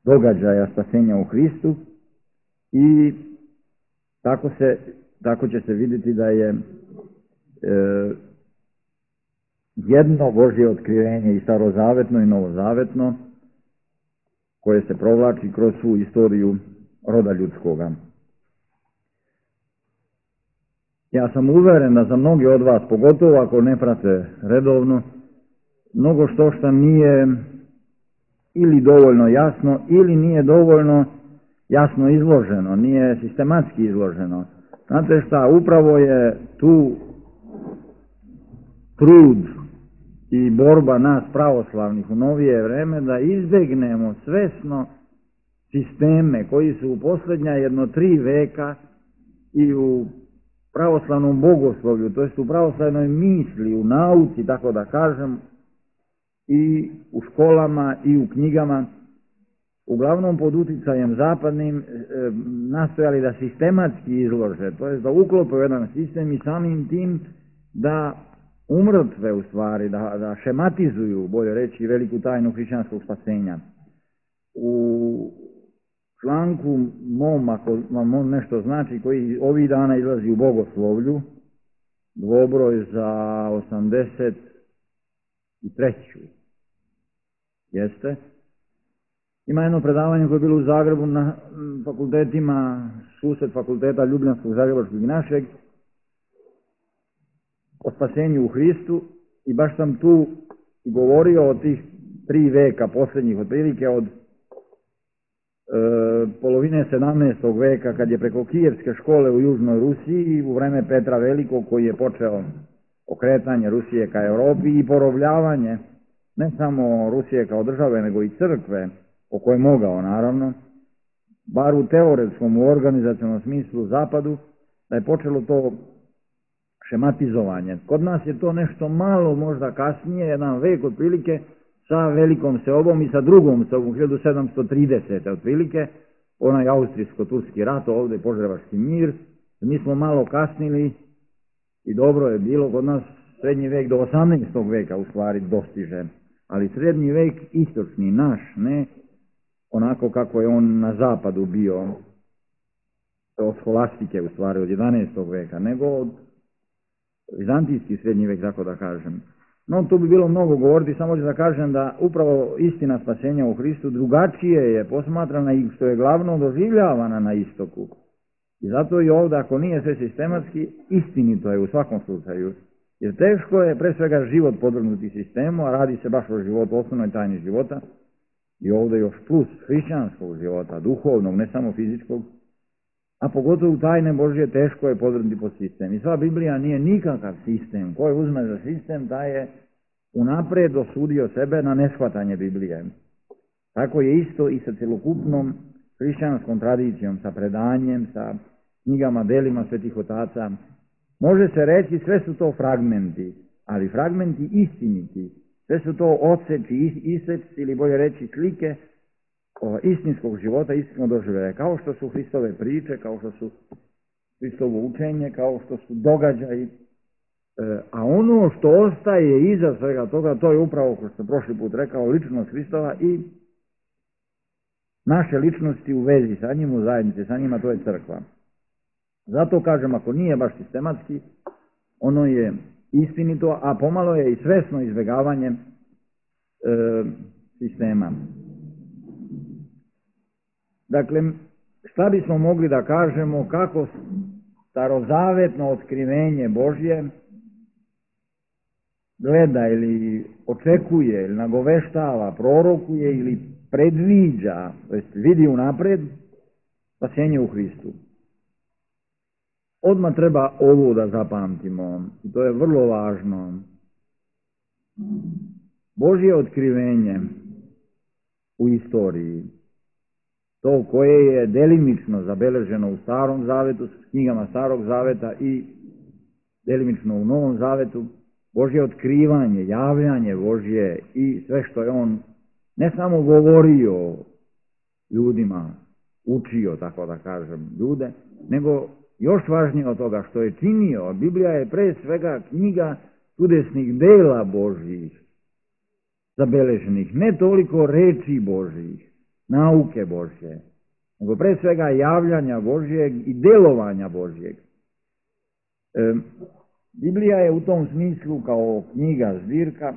događaja spasenja u Hristu i tako, se, tako će se vidjeti da je e, jedno Božje otkrivenje i starozavetno i novozavetno koje se provlači kroz svu istoriju roda ljudskoga. Ja sam uveren da za mnogi od vas, pogotovo ako ne prate redovno, mnogo što što nije ili dovoljno jasno ili nije dovoljno jasno izloženo, nije sistematski izloženo. Znate šta, upravo je tu trud i borba nas pravoslavnih u novije vreme da izbjegnemo svesno sisteme koji su u posljednja jedno tri veka i u pravoslavnom bogoslovlju, to jest u pravoslavnoj misli, u nauci, tako da kažem, i u školama i u knjigama, uglavnom pod uticajem zapadnim, e, nastojali da sistematski izlože, to jest da uklope u jedan sistem i samim tim da umrtve u stvari, da, da šematizuju, bolje reći, veliku tajnu hrišćanskog spasenja. U članku mom, ako vam on nešto znači, koji ovih dana izlazi u Bogoslovlju, dvobroj za osamdeset treću. Jeste. Ima jedno predavanje koje je bilo u Zagrebu na fakultetima, sused fakulteta Ljubljanskog, Zagrebačkog i našeg, o spasenju u Hristu, i baš sam tu govorio o tih tri veka posljednjih, otprilike od e, polovine sedamnaestog veka, kad je preko Kijevske škole u Južnoj Rusiji, u vreme Petra Velikog, koji je počeo okretanje Rusije ka Europi i porobljavanje ne samo Rusije kao države, nego i crkve, o kojoj mogao naravno, bar u teoretskom, u organizacionom smislu zapadu, da je počelo to šematizovanje. Kod nas je to nešto malo možda kasnije, jedan vek otprilike, sa velikom seobom i sa drugom seobom, hiljadu sedamsto tridesete otprilike, onaj austrijsko-turski rat, ovdje Požarevački mir. Mi smo malo kasnili i dobro je bilo, kod nas srednji vek do osamnaestog veka u stvari dostiže, ali srednji vek istočni, naš, ne onako kako je on na zapadu bio, od skolastike u stvari, od jedanaestog veka, nego od vizantijski srednji vek, tako da kažem. No, tu bi bilo mnogo govoriti, samo ću da kažem da upravo istina spasenja u Hristu drugačije je posmatrana i što je glavno doživljavana na istoku. I zato i ovdje, ako nije sve sistematski, istinito je u svakom slučaju. Jer teško je pre svega život podvrgnuti sistemu, a radi se baš o životu, osnovnoj tajni života, i ovdje još plus hrišćanskog života, duhovnog, ne samo fizičkog, a pogotovo tajne Božje teško je podvrgnuti pod sistem. I sva Biblija nije nikakav sistem. Ko je uzme za sistem, taj je unapred osudio sebe na neshvatanje Biblije. Tako je isto i sa celokupnom hrišćanskom tradicijom, sa predanjem, sa knjigama, delima svetih otaca. Može se reći sve su to fragmenti, ali fragmenti istiniti. Sve su to odseci, iseci ili bolje reći slike istinskog života, istinskog doživljaja, kao što su Hristove priče, kao što su Hristovo učenje, kao što su događaji. A ono što ostaje iza svega toga, to je upravo, kao što sam prošli put rekao, ličnost Hristova i naše ličnosti u vezi sa njim, u zajednici sa njima, to je crkva. Zato kažem, ako nije baš sistematski, ono je istinito, a pomalo je i svesno izbjegavanje e, sistema. Dakle, šta bismo mogli da kažemo, kako starozavetno otkrivenje Božje gleda ili očekuje ili nagoveštava, prorokuje ili predviđa, to jest vidi unapred spasenje u Hristu. Odmah treba ovo da zapamtimo, i to je vrlo važno. Božje otkrivenje u istoriji, to koje je delimično zabeleženo u Starom zavetu, s knjigama Starog zaveta i delimično u Novom zavetu, Božje otkrivanje, javljanje Božje i sve što je on ne samo govorio ljudima, učio, tako da kažem, ljude, nego još važnije od toga što je činio. Biblija je pre svega knjiga čudesnih dela Božjih zabeleženih, ne toliko reči Božjih, nauke Božje, nego pre svega javljanja Božjeg i delovanja Božjeg. E, Biblija je u tom smislu kao knjiga, zbirka,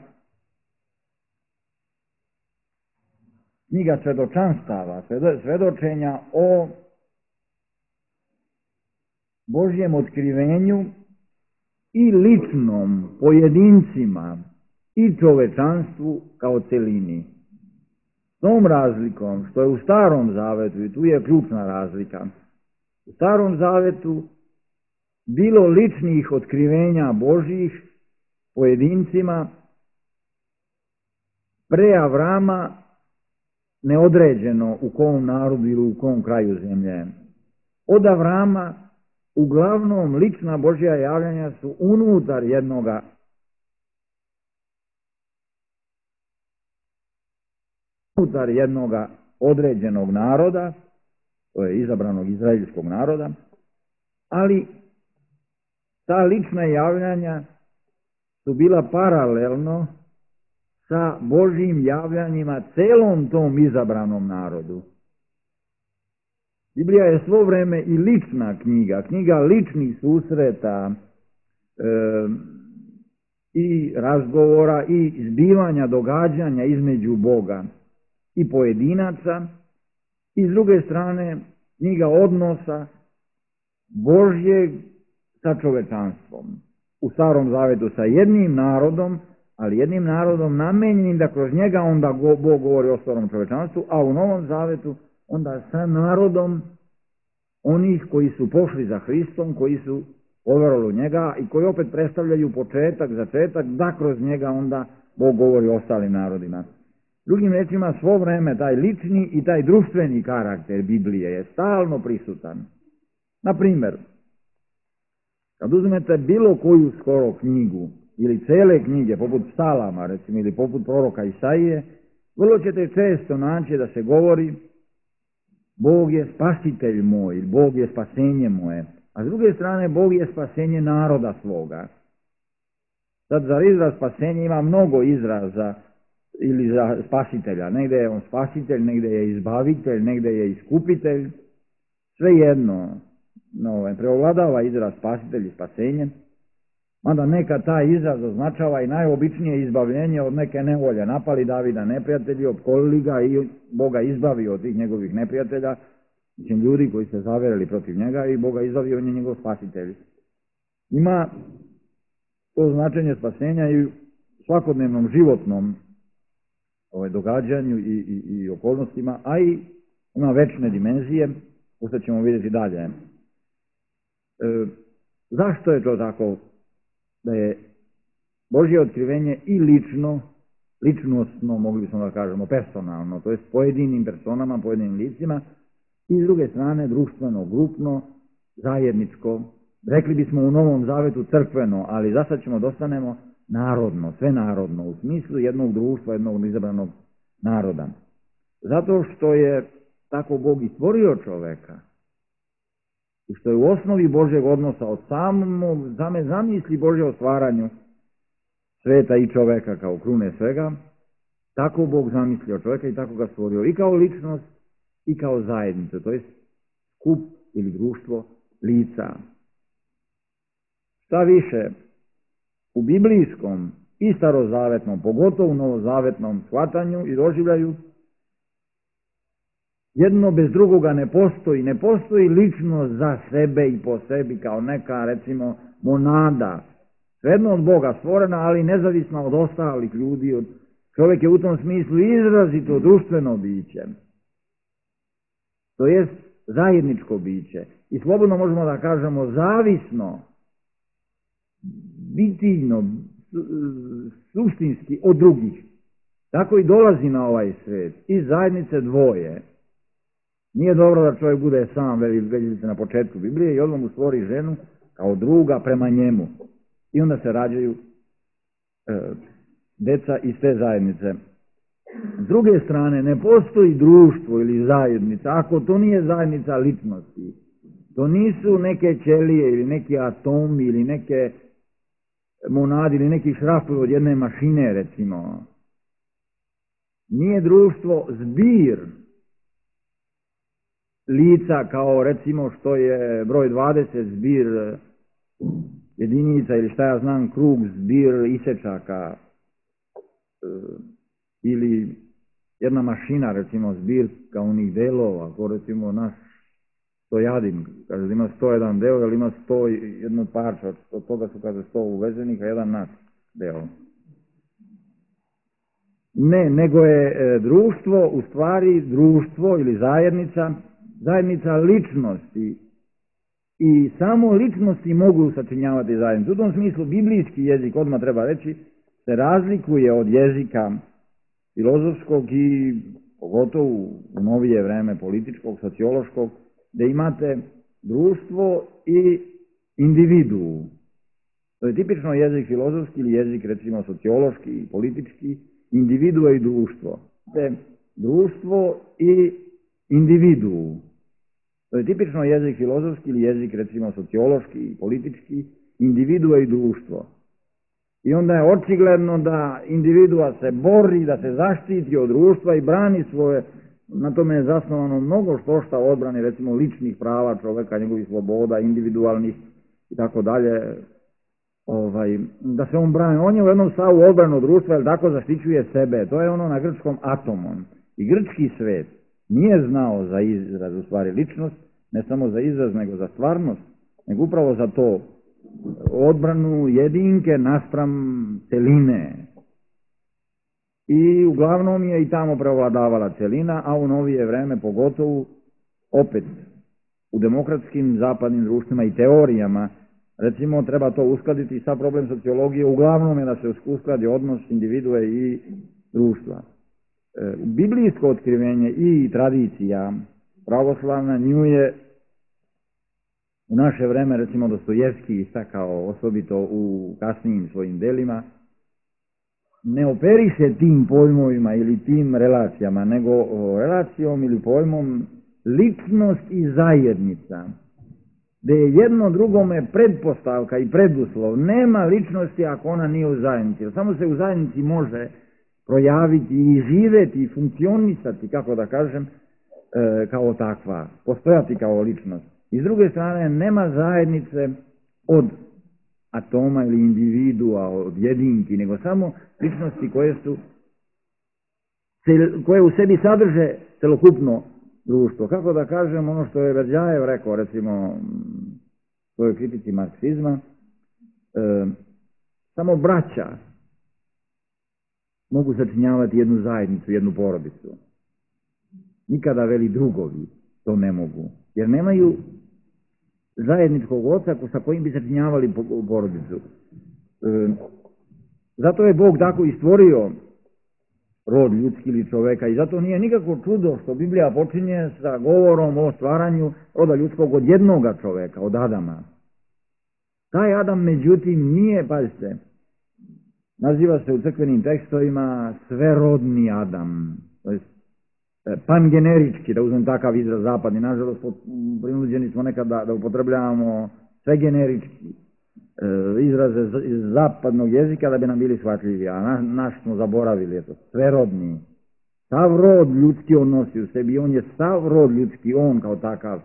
knjiga svedočanstava, svedočenja o Božjem otkrivenju i ličnom, pojedincima i čovečanstvu kao celini. S tom razlikom što je u Starom zavetu, i tu je ključna razlika, u Starom zavetu bilo ličnih otkrivenja Božjih pojedincima pre Avrama, neodređeno u kom narodu ili u kom kraju zemlje. Od Avrama uglavnom lična Božja javljanja su unutar jednoga unutar jednoga određenog naroda, to je izabranog izraelskog naroda, ali ta lična javljanja su bila paralelno sa Božjim javljanjima celom tom izabranom narodu. Biblija je svo vreme i lična knjiga, knjiga ličnih susreta e, i razgovora i zbivanja događanja između Boga i pojedinaca, i s druge strane knjiga odnosa Božjeg sa čovečanstvom. U Starom Zavetu sa jednim narodom, ali jednim narodom namenjenim da kroz njega onda Bog govori o starom čovečanstvu, a u Novom Zavetu onda sa narodom onih koji su pošli za Hristom, koji su poverovali u njega i koji opet predstavljaju početak, začetak, da kroz njega onda Bog govori o ostalim narodima. Drugim rečima, svo vreme taj lični i taj društveni karakter Biblije je stalno prisutan. Na primjer, kad uzmete bilo koju skoro knjigu ili cele knjige, poput Psalama, recimo, ili poput proroka Isaije, vrlo ćete često naći da se govori Bog je spasitelj moj, Bog je spasenje moje, a s druge strane Bog je spasenje naroda svoga. Sad za izraz spasenje ima mnogo izraza ili za spasitelja. Negde je on spasitelj, negde je izbavitelj, negde je iskupitelj. Svejedno, no, preovladava izraz spasitelj i spasenje, mada neka taj izraz označava i najobičnije izbavljenje od neke nevolje. Napali Davida neprijatelji, opkolili ga i Boga izbavio od tih njegovih neprijatelja, mislim ljudi koji se zaverili protiv njega, i Boga izbavio, on je njegov spasitelj. Ima to značenje spasenja i u svakodnevnom životnom ovaj, događanju i, i, i okolnostima, a i ima večne dimenzije, što ćemo vidjeti dalje. E, zašto je to tako da je Božje otkrivenje i lično, ličnostno, mogli bismo da kažemo, personalno, to je pojedinim personama, pojedinim licima, i s druge strane društveno, grupno, zajedničko, rekli bismo u Novom Zavetu crkveno, ali za sad ćemo dostanemo narodno, sve narodno, u smislu jednog društva, jednog izabranog naroda. Zato što je tako Bog i stvorio čoveka, i što je u osnovi Božjeg odnosa od samog same zamisli Božje o stvaranju sveta i čoveka kao krune svega, tako Bog zamislio čoveka i tako ga stvorio i kao ličnost i kao zajednicu, to je skup ili društvo lica. Šta više, u biblijskom i starozavetnom, pogotovo u novozavetnom shvatanju i doživljaju, jedno bez drugoga ne postoji. Ne postoji ličnost za sebe i po sebi kao neka, recimo, monada. Svejedno od Boga stvorena, ali nezavisna od ostalih ljudi. Od... Čovjek je u tom smislu izrazito društveno biće. To jest zajedničko biće. I slobodno možemo da kažemo zavisno, bitivno, suštinski od drugih. Tako i dolazi na ovaj svet. Iz zajednice dvoje. Nije dobro da čovjek bude sam, vidite na početku Biblije, i odmah mu stvori ženu kao druga prema njemu. I onda se rađaju e, deca iz te zajednice. S druge strane, ne postoji društvo ili zajednica, ako to nije zajednica ličnosti. To nisu neke ćelije ili neki atomi ili neke monadi ili neki šrafovi od jedne mašine, recimo. Nije društvo zbir lica kao recimo što je broj dvadeset zbir jedinica ili šta ja znam krug zbir isečaka ili jedna mašina recimo zbir kao onih delova, kao recimo naš stojadin, kaže da ima sto jedan deo, ali ima sto jedno parča, od toga su kaže sto uvezenih, a jedan naš deo. Ne, nego je društvo u stvari društvo ili zajednica, zajednica ličnosti, i samo ličnosti mogu sačinjavati zajednicu. U tom smislu biblijski jezik, odmah treba reći, se razlikuje od jezika filozofskog i pogotovo u novije vreme političkog, sociološkog, da imate društvo i individuu. To je tipično jezik filozofski ili jezik recimo sociološki i politički, individua i društvo. Te društvo i individuu. To je tipično jezik filozofski ili jezik recimo sociološki i politički, individua i društvo. I onda je očigledno da individua se bori, da se zaštiti od društva i brani svoje na tome je zasnovano mnogo što šta odbrane, recimo ličnih prava čoveka, njegovih sloboda, individualnih i tako dalje, ovaj, da se on brani. On je u jednom stavu odbranu društva, jer tako zaštićuje sebe. To je ono na grčkom atomon. I grčki svet nije znao za izraz, u stvari ličnost, ne samo za izraz, nego za stvarnost, nego upravo za to odbranu jedinke naspram celine. I uglavnom je i tamo prevladavala celina, a u novije vreme pogotovo opet u demokratskim zapadnim društvima i teorijama, recimo treba to uskladiti sa problem sociologije, uglavnom je da se uskladi odnos individue i društva. E, biblijsko otkrivenje i tradicija pravoslavna nju je u naše vreme, recimo Dostojevski istakao osobito u kasnijim svojim delima, ne operiše tim pojmovima ili tim relacijama, nego relacijom ili pojmom ličnost i zajednica, gde je jedno drugome pretpostavka i preduslov. Nema ličnosti ako ona nije u zajednici. Samo se u zajednici može projaviti i živeti i funkcionisati, kako da kažem, e, kao takva, postojati kao ličnost. I s druge strane, nema zajednice od atoma ili individua, od jedinki, nego samo ličnosti koje su koje u sebi sadrže celokupno društvo. Kako da kažem, ono što je Berdjajev rekao, recimo, u svojoj kritici marksizma, e, samo braća mogu sačinjavati jednu zajednicu, jednu porodicu. Nikada, veli, drugovi to ne mogu, jer nemaju zajedničkog oca sa kojim bi sačinjavali porodicu. E, zato je Bog tako i stvorio rod ljudski ili čoveka i zato nije nikako čudo što Biblija počinje sa govorom o stvaranju roda ljudskog od jednoga čoveka, od Adama. Taj Adam, međutim, nije, pazite, naziva se u crkvenim tekstovima sverodni Adam, to je pangenerički, da uzmem takav izraz zapadni. Nažalost, prinuđeni smo nekad da, da upotrebljavamo sve generički e, izraze iz zapadnog jezika da bi nam bili shvatljivi, a na, naš smo zaboravili, eto, sverodni. Sav rod ljudski on nosi u sebi, on je sav rod ljudski, on kao takav.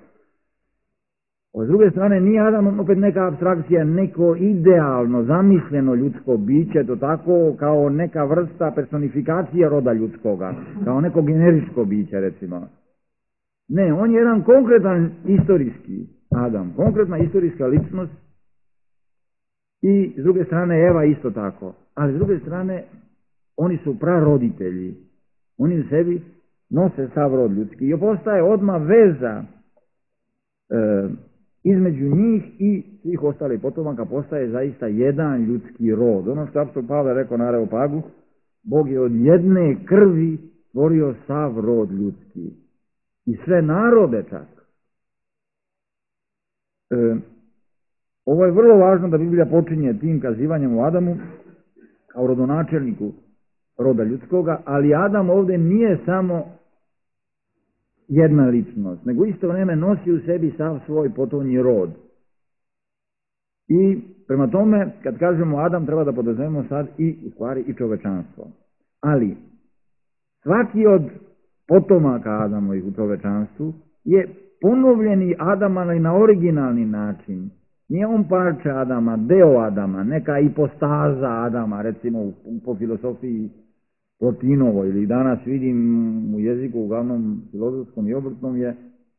S druge strane, nije Adam opet neka apstrakcija, neko idealno, zamišljeno ljudsko biće, to tako kao neka vrsta personifikacije roda ljudskoga, kao neko generičko biće, recimo. Ne, on je jedan konkretan istorijski Adam, konkretna istorijska ličnost i s druge strane Eva isto tako. Ali s druge strane, oni su praroditelji, oni u sebi nose sav rod ljudski i postaje odmah veza e, između njih i svih ostalih potomaka, postaje zaista jedan ljudski rod. Ono što je apostol Pavle rekao na Areopagu, Bog je od jedne krvi stvorio sav rod ljudski i sve narode čak. E, ovo je vrlo važno da Biblija počinje tim kazivanjem u Adamu kao rodonačelniku roda ljudskoga, ali Adam ovdje nije samo jedna ličnost, nego isto vreme nosi u sebi sav svoj potomni rod. I prema tome, kad kažemo Adam, treba da podrazumemo sad i u stvari i čovečanstvo. Ali svaki od potomaka Adamovih u čovečanstvu je ponovljeni Adam, ali na originalni način. Nije on parče Adama, deo Adama, neka ipostaza Adama, recimo po filosofiji Plotinovo, ili danas vidim u jeziku, uglavnom filozofskom i obrtnom je,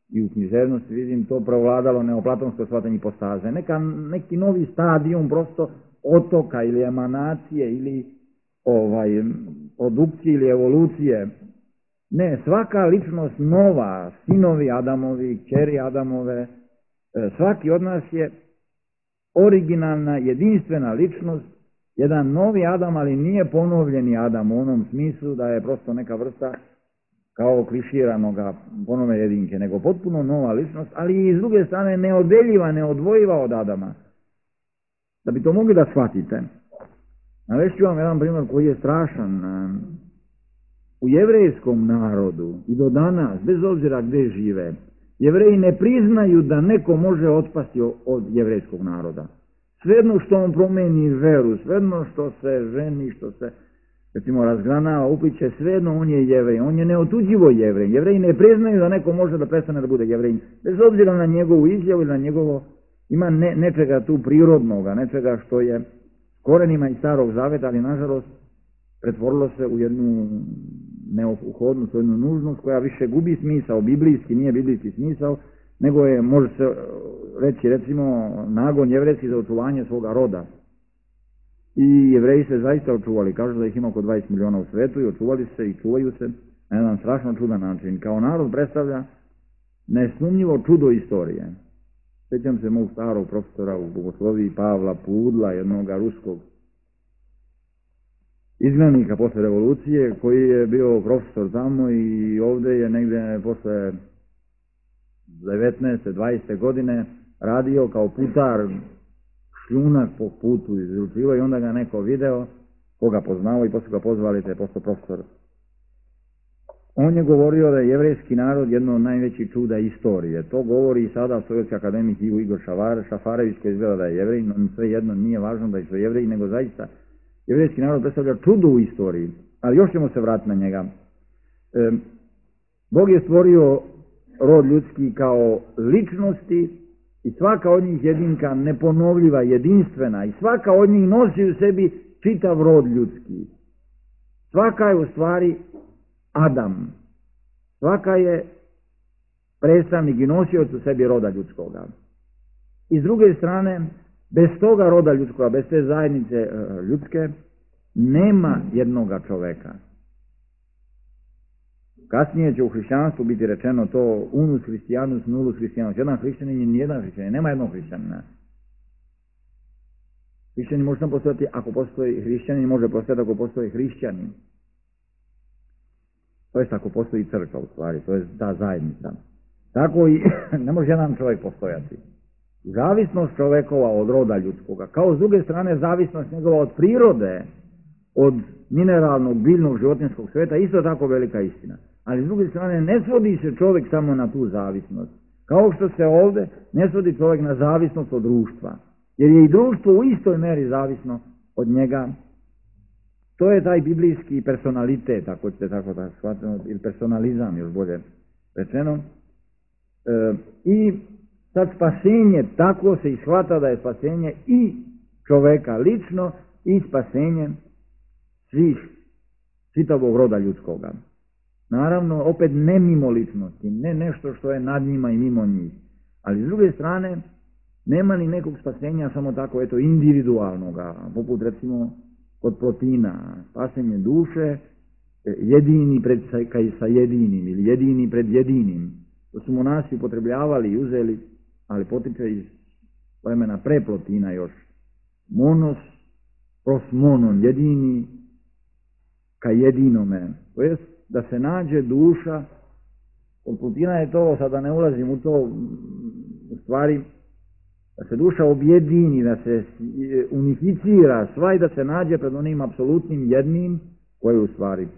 i u književnosti vidim to prevladalo neoplatonsko shvatanje ipostaze. Neka, neki novi stadijum prosto otoka ili emanacije ili ovaj, produkcije ili evolucije. Ne, svaka ličnost nova, sinovi Adamovi, kćeri Adamove, svaki od nas je originalna, jedinstvena ličnost, jedan novi Adam, ali nije ponovljeni Adam u onom smislu da je prosto neka vrsta kao kliširanoga ponove jedinke, nego potpuno nova ličnost, ali i s druge strane neodeljiva, neodvojiva od Adama. Da bi to mogli da shvatite, navešću vam jedan primjer koji je strašan. U jevrejskom narodu i do danas, bez obzira gde žive, Jevreji ne priznaju da neko može otpasti od jevrejskog naroda. Svejedno što on promeni veru, svejedno što se ženi, što se recimo razgranava, upliče, svejedno on je Jevrej, on je neotuđivo Jevrej. Jevreji ne priznaju da neko može da prestane da bude Jevrej, bez obzira na njegovu izjavu ili na njegovo, ima ne, nečega tu prirodnoga, nečega što je korenima iz Starog Zaveta, ali nažalost pretvorilo se u jednu neophodnost, u jednu nužnost koja više gubi smisao, biblijski, nije biblijski smisao, nego je, može se reći, recimo, nagon jevrejski za očuvanje svoga roda. I Jevreji se zaista očuvali, kažu da ih ima oko dvadeset miliona u svetu i očuvali se i čuvaju se na jedan strašno čudan način. Kao narod predstavlja nesumnjivo čudo istorije. Sjećam se mog starog profesora u bogosloviji Pavla Pudla, jednog ruskog izgnanika posle revolucije, koji je bio profesor tamo i ovdje je negdje posle devetnaeste dvadesete godine radio kao putar, šljunak po putu izručivao i onda ga neko video, koga poznao i posle ga pozvali te posto profesor. On je govorio da je jevrejski narod jedno od najvećih čuda istorije. To govori i sada sovjetski akademik Igor Šafarević, koji izgleda da je jevrej, no sve jedno nije važno da je to jevrej, nego zaista jevrejski narod predstavlja čudo u istoriji. Ali još ćemo se vratiti na njega. E, Bog je stvorio rod ljudski kao ličnosti i svaka od njih jedinka neponovljiva, jedinstvena i svaka od njih nosi u sebi čitav rod ljudski. Svaka je u stvari Adam. Svaka je predstavnik i nosioc u sebi roda ljudskoga. I s druge strane, bez toga roda ljudskoga, bez te zajednice ljudske, nema jednoga čoveka. Kasnije će u hrišćanstvu biti rečeno to unus hristijanus, nullus hristijanus. Jedan hrišćanin je nijedan hrišćanin, nema jednog hrišćanina. Hrišćanin može samo postojati ako postoji hrišćanin, može postojati ako postoji hrišćanin. To je ako postoji crkva u stvari, to je ta zajednica. Tako i ne može jedan čovjek postojati. Zavisnost čovekova od roda ljudskoga, kao s druge strane zavisnost njegova od prirode, od mineralnog, biljnog, životinjskog sveta, isto tako velika istina. Ali s druge strane ne svodi se čovjek samo na tu zavisnost. Kao što se ovdje ne svodi čovjek na zavisnost od društva. Jer je i društvo u istoj meri zavisno od njega. To je taj biblijski personalitet, ako ćete tako da shvatimo, ili personalizam još bolje rečeno. E, I sad spasenje, tako se ishvata da je spasenje i čoveka lično i spasenje svih, čitavog roda ljudskoga. Naravno, opet ne mimo ličnosti, ne nešto što je nad njima i mimo njih. Ali s druge strane, nema ni nekog spasenja samo tako, eto, individualnoga, poput recimo kod Plotina, spasenje duše, jedini pred sa jedinim ili jedini pred jedinim. To su monasi upotrebljavali i uzeli, ali potiče iz vremena pre Plotina još. Monos pros monon, jedini ka jedinome. To jest da se nađe duša, kod Plotina je to, sada ne ulazim u to, u stvari, da se duša objedini, da se unificira sva i da se nađe pred onim apsolutnim jednim, koji je u stvari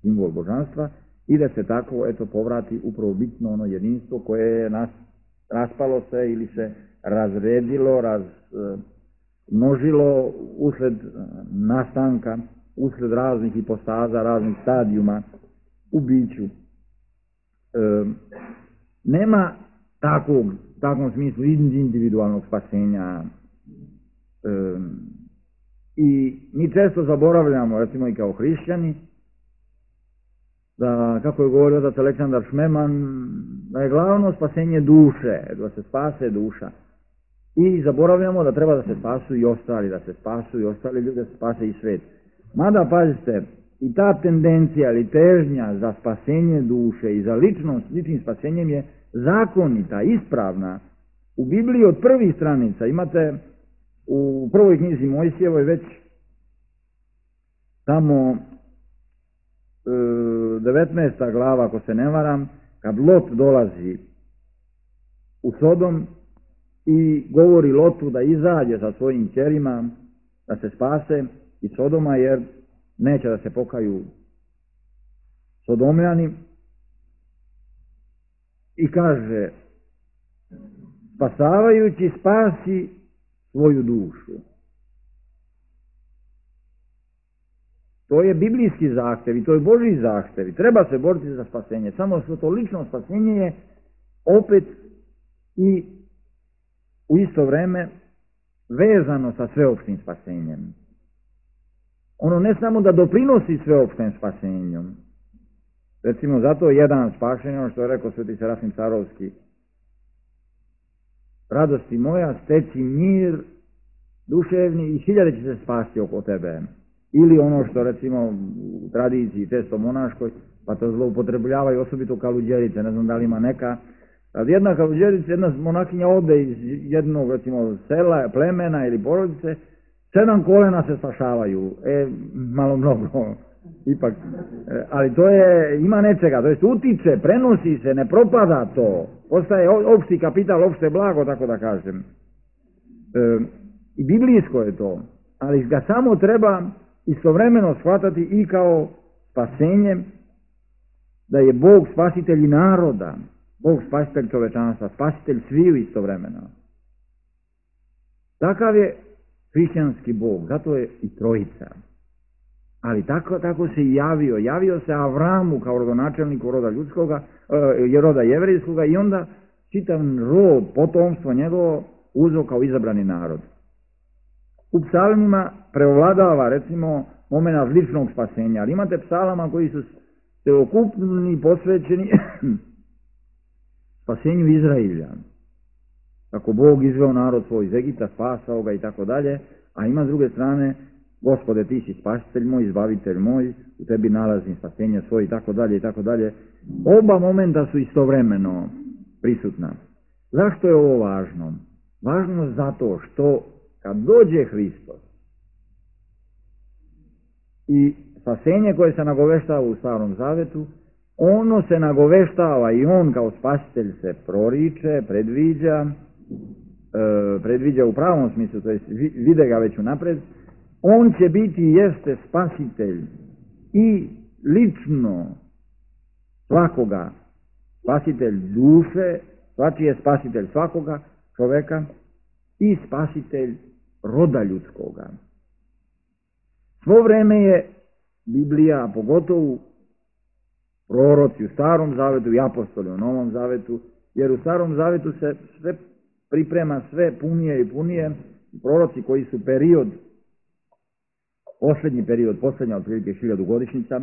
simbol božanstva, i da se tako, eto, povrati upravo bitno ono jedinstvo koje je nas, raspalo se ili se razredilo, razmnožilo usled nastanka, usled raznih hipostaza, raznih stadijuma u biću. E, nema takvog, u takvom smislu individualnog spasenja. E, I mi često zaboravljamo, recimo i kao hrišćani, da, kako je govorio otac Aleksandar Šmeman, da je glavno spasenje duše, da se spase duša. I zaboravljamo da treba da se spasu i ostali, da se spasu i ostali ljudi, da se spase i svet. Mada, pazite, i ta tendencija ili težnja za spasenje duše i za ličnost, ličnim spasenjem je zakonita, ispravna. U Bibliji od prvih stranica imate u prvoj knjizi Mojsijevoj već tamo devetnaesta glava, ako se ne varam, kad Lot dolazi u Sodom i govori Lotu da izađe sa svojim ćerima, da se spase iz Sodoma, jer neće da se pokaju Sodomljani, i kaže, spasavajući spasi svoju dušu. To je biblijski zahtev i to je Božji zahtev i treba se boriti za spasenje. Samo što to lično spasenje je opet i u isto vreme vezano sa sveopštim spasenjem. Ono ne samo da doprinosi sveopštem spasenju. Recimo, zato jedan spašen, ono što je rekao sveti Serafim Sarovski, radosti moja, steci mir duševni i hiljade će se spasti oko tebe. Ili ono što recimo u tradiciji često monaškoj, pa to zloupotrebljavaju osobito kaluđerice, ne znam da li ima neka. Ali jedna kaluđerica, jedna monakinja ode iz jednog recimo sela, plemena ili porodice, sedam kolena se spašavaju, e, malo mnogo, ipak, e, ali to je, ima nečega, to jest utiče, prenosi se, ne propada to, postaje opšti kapital, opšte blago, tako da kažem. E, I biblijsko je to, ali ga samo treba istovremeno shvatati i kao spasenje, da je Bog spasitelj i naroda, Bog spasitelj čovečanstva, spasitelj sviju istovremeno. Takav je hrišćanski Bog, zato je i trojica. Ali tako, tako se i javio. Javio se Avramu kao rodonačelniku roda ljudskoga, e, roda jevrijskoga i onda čitav rod, potomstvo njegovo uzeo kao izabrani narod. U psalmima preovladava recimo momenat ličnog spasenja, ali imate psalama koji su celokupni posvećeni spasenju Izrailja. Kako Bog izveo narod svoj iz Egipta, spasao ga i tako dalje, a ima s druge strane, Gospode, ti si spasitelj moj, izbavitelj moj, u tebi nalazim spasenje svoje i tako dalje i tako dalje. Oba momenta su istovremeno prisutna. Zašto je ovo važno? Važno zato što kad dođe Hristos i spasenje koje se nagoveštava u Starom Zavetu, ono se nagoveštava i on kao spasitelj se proriče, predviđa, e, predviđa u pravom smislu, to je vide ga već unapred, on će biti i jeste spasitelj i lično svakoga, spasitelj duše, svačiji je spasitelj svakoga čoveka i spasitelj roda ljudskoga. Svo vreme je Biblija, a pogotovo proroci u Starom Zavetu i apostoli u Novom Zavetu, jer u Starom Zavetu se sve priprema sve punije i punije. Proroci koji su period, posljednji period, posljednja otprilike hiljadugodišnjica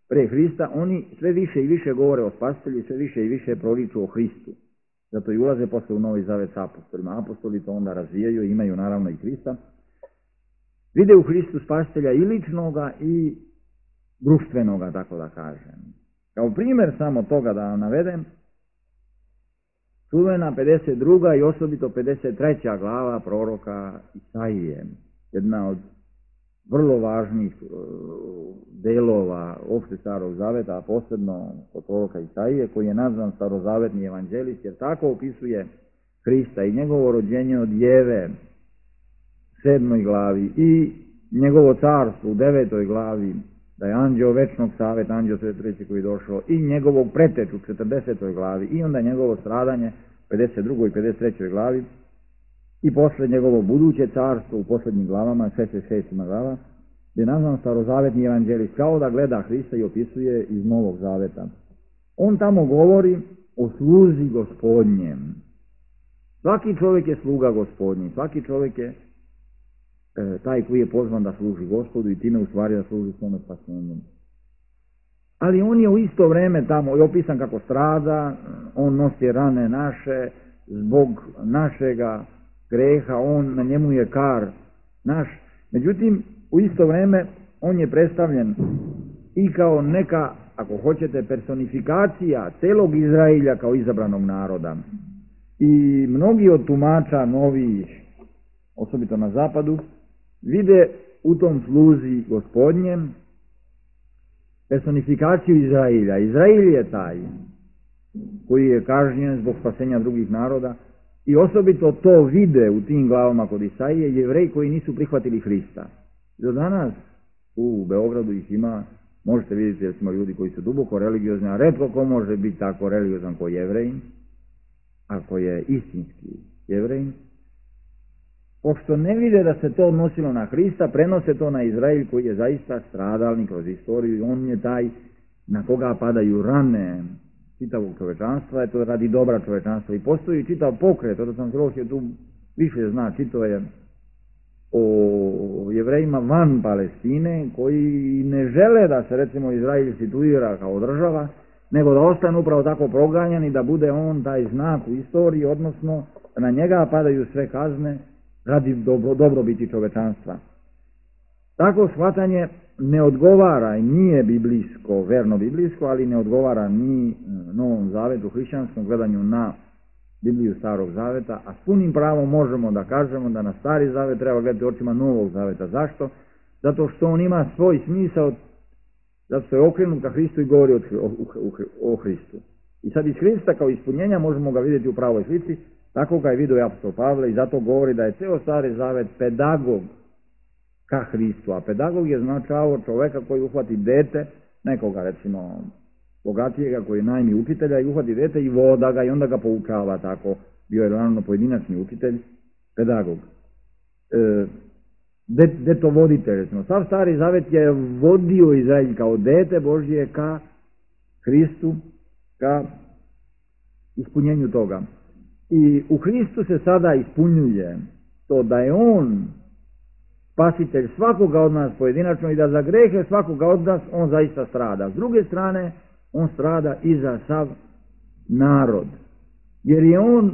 pre Hrista, oni sve više i više govore o spasitelju, sve više i više proriču o Hristu. Zato i ulaze posle u Novi Zavet sa apostolima. Apostoli to onda razvijaju i imaju naravno i Hrista. Vide u Hristu spasitelja i ličnoga i društvenoga, tako da kažem. Kao primjer samo toga da vam navedem, čuvena pedeset druga i osobito pedeset treća glava proroka Isaije, jedna od vrlo važnih delova opšte Starog Zaveta, a posebno kod proroka Isaije, koji je nazvan starozavetni evanđelist, jer tako opisuje Hrista i njegovo rođenje od Jeve, sedmoj glavi, i njegovo carstvo u devetoj glavi, da je anđeo večnog saveta, anđeo treći koji je došao, i njegovog preteču u četrdesetoj glavi, i onda njegovo stradanje u pedeset drugoj i pedeset trećoj glavi, i posle njegovo buduće carstvo u posljednjim glavama, šezdeset šesta glava, gdje je nazvan starozavetni evanđelist, kao da gleda Hrista i opisuje iz Novog Zaveta. On tamo govori o sluzi Gospodnjem. Svaki čovjek je sluga Gospodnji, svaki čovjek je e, taj koji je pozvan da služi Gospodu i time u stvari da služi svome spasenju. Ali on je u isto vreme tamo je opisan kako strada, on nosi rane naše zbog našega greha, on, na njemu je kar naš. Međutim, u isto vreme on je predstavljen i kao neka, ako hoćete, personifikacija celog Izrailja kao izabranog naroda. I mnogi od tumača novih, osobito na zapadu, vide u tom sluzi Gospodnjem personifikaciju Izrailja. Izrail je taj koji je kažnjen zbog spasenja drugih naroda i osobito to vide u tim glavama kod Isaije Jevreji koji nisu prihvatili Hrista. Do danas u Beogradu ih ima, možete vidjeti recimo ljudi koji su duboko religiozni, a retko ko može biti tako religiozan ko Jevrejin, ako je istinski Jevrejin. pošto ne vide da se to odnosilo na Hrista, prenose to na Izrael koji je zaista stradalnik kroz istoriju. On je taj na koga padaju rane čitavog čovečanstva, je to radi dobra čovečanstva. I postoji čitav pokret, odnosno antropologija tu više zna, čito je o Jevrejima van Palestine, koji ne žele da se recimo Izrael situira kao država, nego da ostane upravo tako proganjan i da bude on taj znak u istoriji, odnosno na njega padaju sve kazne radi dobro, dobrobiti čovečanstva. Tako shvatanje ne odgovara i nije biblijsko, verno biblijsko, ali ne odgovara ni Novom Zavetu, hrišćanskom gledanju na Bibliju Starog Zaveta, a s punim pravom možemo da kažemo da na Stari Zavet treba gledati očima Novog Zaveta. Zašto? Zato što on ima svoj smisao, zato što je okrenut ka Hristu i govori o, o, o Hristu. I sad iz Hrista kao ispunjenja možemo ga vidjeti u pravoj slici, tako ga je vidio i apostol Pavle i zato govori da je ceo Stari Zavet pedagog ka Hristu, a pedagog je značao čoveka koji uhvati dete, nekoga recimo bogatijega koji najmi učitelja i uhvati dete i voda ga i onda ga poučava tako. Bio je naravno pojedinačni učitelj, pedagog. E, det, detovoditelj, recimo. Sav Stari Zavet je vodio Izrael kao dete Božje ka Hristu, ka ispunjenju toga. I u Hristu se sada ispunjuje to da je on spasitelj svakoga od nas pojedinačno i da za grehe svakoga od nas on zaista strada. S druge strane, on strada i za sav narod. Jer je on,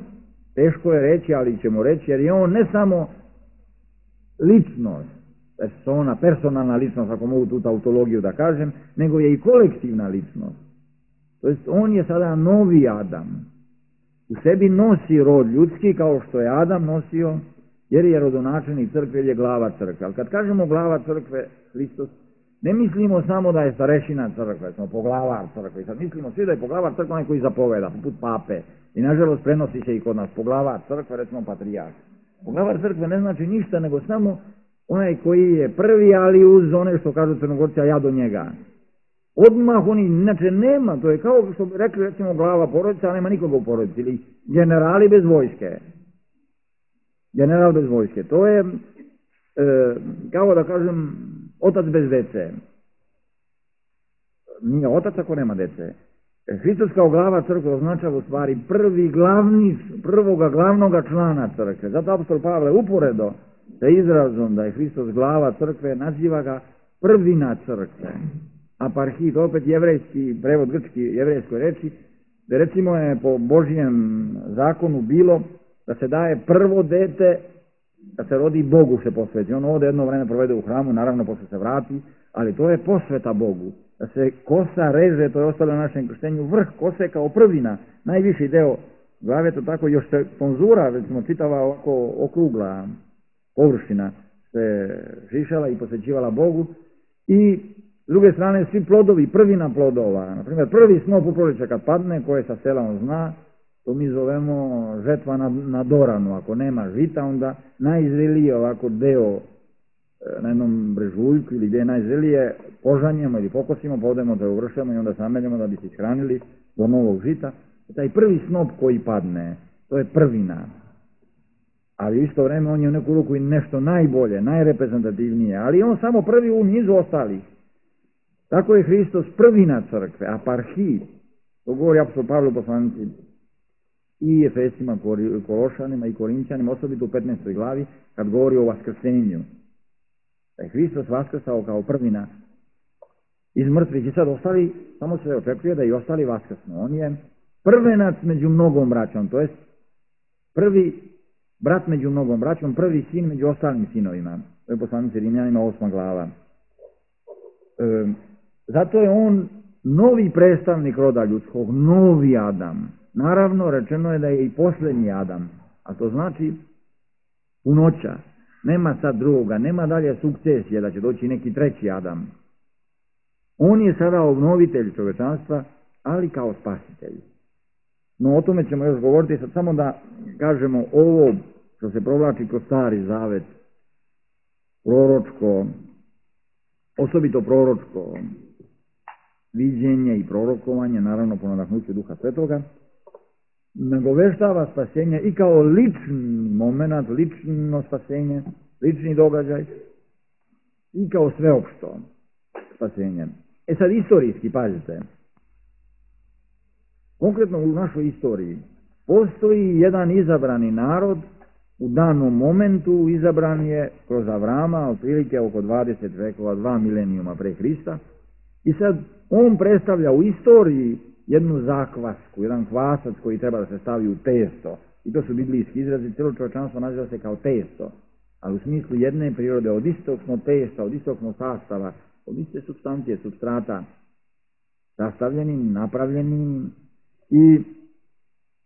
teško je reći, ali ćemo reći, jer je on ne samo ličnost, persona, personalna ličnost, ako mogu tu tautologiju da kažem, nego je i kolektivna ličnost. To jest, on je sada novi Adam. U sebi nosi rod ljudski kao što je Adam nosio, jer je rodonačelnik crkve, jer je glava crkve. Ali kad kažemo glava crkve, Hristos, ne mislimo samo da je starešina crkve, smo poglavar crkve. Sad mislimo svi da je poglavar crkve onaj koji zapoveda, poput pape. I nažalost prenosi se i kod nas poglavar crkve, recimo patrijarh. Poglavar crkve ne znači ništa, nego samo onaj koji je prvi, ali uz one što kažu Crnogorci, a ja do njega. Odmah oni, inače nema, to je kao što bi rekli recimo glava porodice, a nema nikoga u porodici, ili generali bez vojske. General bez vojske. To je, e, kao da kažem, otac bez dece. Nije otac ako nema dece. Hristos kao glava crkve označava u stvari prvi glavni, prvoga glavnoga člana crkve. Zato apostol Pavle uporedo sa izrazom da je Hristos glava crkve, naziva ga prvina crkve. Aparhit, opet jevrejski, prevod grčki jevrejskoj reči, da recimo je po Božjem zakonu bilo da se daje prvo dete, da se rodi Bogu se posveti. On ovdje jedno vreme provede u hramu, naravno posle se vrati, ali to je posveta Bogu. Da se kosa reže, to je ostalo na našem krštenju, vrh kose kao prvina, najviši deo glave, to tako još se sponzura, recimo čitava ovako okrugla površina se šišala i posvećivala Bogu. I s druge strane svi plodovi, prvina plodova, na primjer prvi snop u proljeće kad padne, koje sa sela on zna, to mi zovemo žetva na, na doranu. Ako nema žita, onda najzreliji ovako deo na jednom brežuljku ili gdje je najzrelije, požanjemo ili pokosimo, pa odemo da uvršemo i onda sameljamo da bi se ishranili do novog žita. Taj prvi snop koji padne, to je prvina. Ali u isto vreme on je u neku ruku i nešto najbolje, najreprezentativnije, ali on samo prvi u nizu ostalih. Tako je Hristos prvina crkve, aparhit, to govori apostol Pavle u poslanici i Efesima, Kološanima i Korinćanima, osobito u petnaestoj glavi, kad govori o vaskrsenju. Da je Hristos vaskrsao kao prvina iz mrtvih i sad ostali, samo se očekuje da i ostali vaskrsnu. On je prvenac među mnogom braćom, to jest prvi brat među mnogom braćom, prvi sin među ostalim sinovima. To je poslanici Rimljanima osma glava. E, zato je on novi predstavnik roda ljudskog, novi Adam. Naravno, rečeno je da je i posljednji Adam, a to znači punoća. Nema sad drugoga, nema dalje sukcesije da će doći neki treći Adam. On je sada obnovitelj čovečanstva, ali kao spasitelj. No o tome ćemo još govoriti, sad samo da kažemo ovo što se provlači kroz Stari Zavet, proročko, osobito proročko viđenje i prorokovanje, naravno po nadahnuću Duha Svetoga, nagoveštava spasenje i kao lični moment, lično spasenje, lični događaj i kao sveopšto spasenje. E sad istorijski, pazite, konkretno u našoj istoriji postoji jedan izabrani narod, u danom momentu izabran je kroz Avrama, otprilike oko dvadeset vekova, dva milenijuma pre Hrista, i sad on predstavlja u istoriji jednu zakvasku, jedan kvasac koji treba da se stavi u testo, i to su biblijski izrazi, cijelo čovječanstvo naziva se kao testo, ali u smislu jedne prirode, od istog smo testa, od istog smo sastava, od iste supstancije, supstrata, sastavljenim, napravljenim, i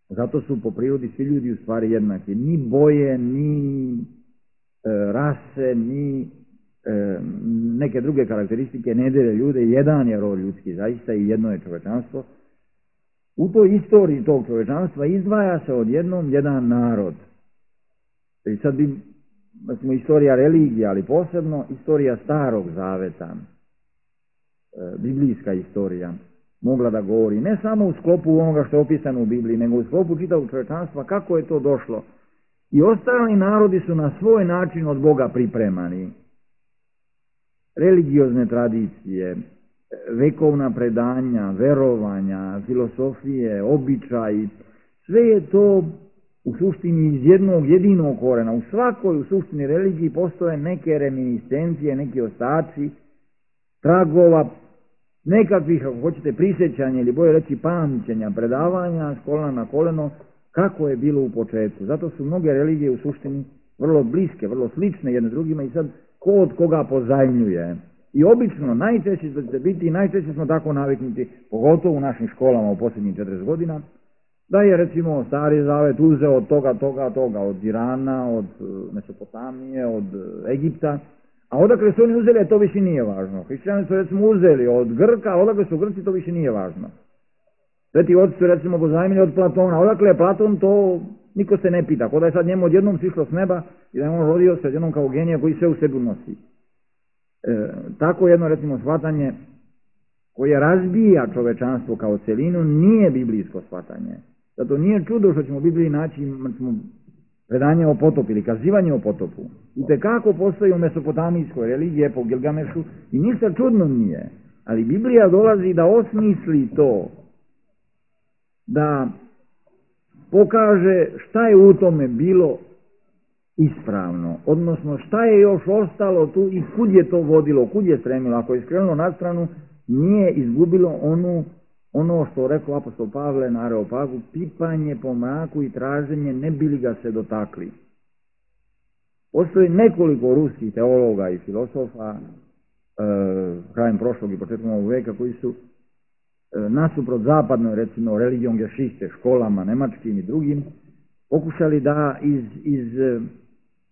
zato su po prirodi svi ljudi u stvari jednaki. Ni boje, ni e, rase, ni e, neke druge karakteristike ne dele ljude. Jedan je rod ljudski zaista i jedno je čovečanstvo. U toj istoriji tog čovečanstva izdvaja se odjednom jedan narod. I sad bi, recimo, istorija religije, ali posebno istorija Starog Zaveta, e, biblijska istorija, mogla da govori ne samo u sklopu onoga što je opisano u Bibliji, nego u sklopu čitavog čovječanstva, kako je to došlo. I ostali narodi su na svoj način od Boga pripremani. Religiozne tradicije, vekovna predanja, verovanja, filosofije, običaji, sve je to u suštini iz jednog jedinog korena. U svakoj u suštini religiji postoje neke reminiscencije, neki ostaci, tragova, nekakvih, ako hoćete, prisjećanja ili bolje reći pamćenja, predavanja s kolena na koleno, kako je bilo u početku. Zato su mnoge religije u suštini vrlo bliske, vrlo slične jedne drugima i sad ko od koga pozajmljuje. I obično, najčešće će biti, najčešće smo tako naviknuti, pogotovo u našim školama u posljednjih četrdeset godina, da je recimo Stari Zavet uzeo od toga, toga, toga, od Irana, od Mesopotamije, od Egipta, a odakle su oni uzeli, to više nije važno. Hrišćani su recimo uzeli od Grka, a odakle su Grci, to više nije važno. Sveti oci su recimo pozajmili od Platona, odakle je Platon, to niko se ne pita, kod da je sad njemu odjednom sišlo s neba i da je on rodio se odjednom kao genija koji sve u sebi nosi. E, tako jedno recimo shvatanje koje razbija čovečanstvo kao celinu nije biblijsko shvatanje. Zato nije čudo što ćemo u Bibliji naći predanje o potopu ili kazivanje o potopu. I tekako postoji u mesopotamijskoj religiji po Gilgamešu i ništa čudno nije. Ali Biblija dolazi da osmisli to, da pokaže šta je u tome bilo ispravno, odnosno šta je još ostalo tu i kud je to vodilo, kud je stremilo. Ako je skrenulo na stranu, nije izgubilo onu, ono što rekao apostol Pavle na Areopagu, pipanje po mraku i traženje ne bili ga se dotakli. Postoji nekoliko ruskih teologa i filosofa e, krajem prošlog i početkom ovog veka koji su e, nasuprot zapadnoj, recimo religijom Geschichte, školama nemačkim i drugim, pokušali da iz, iz e,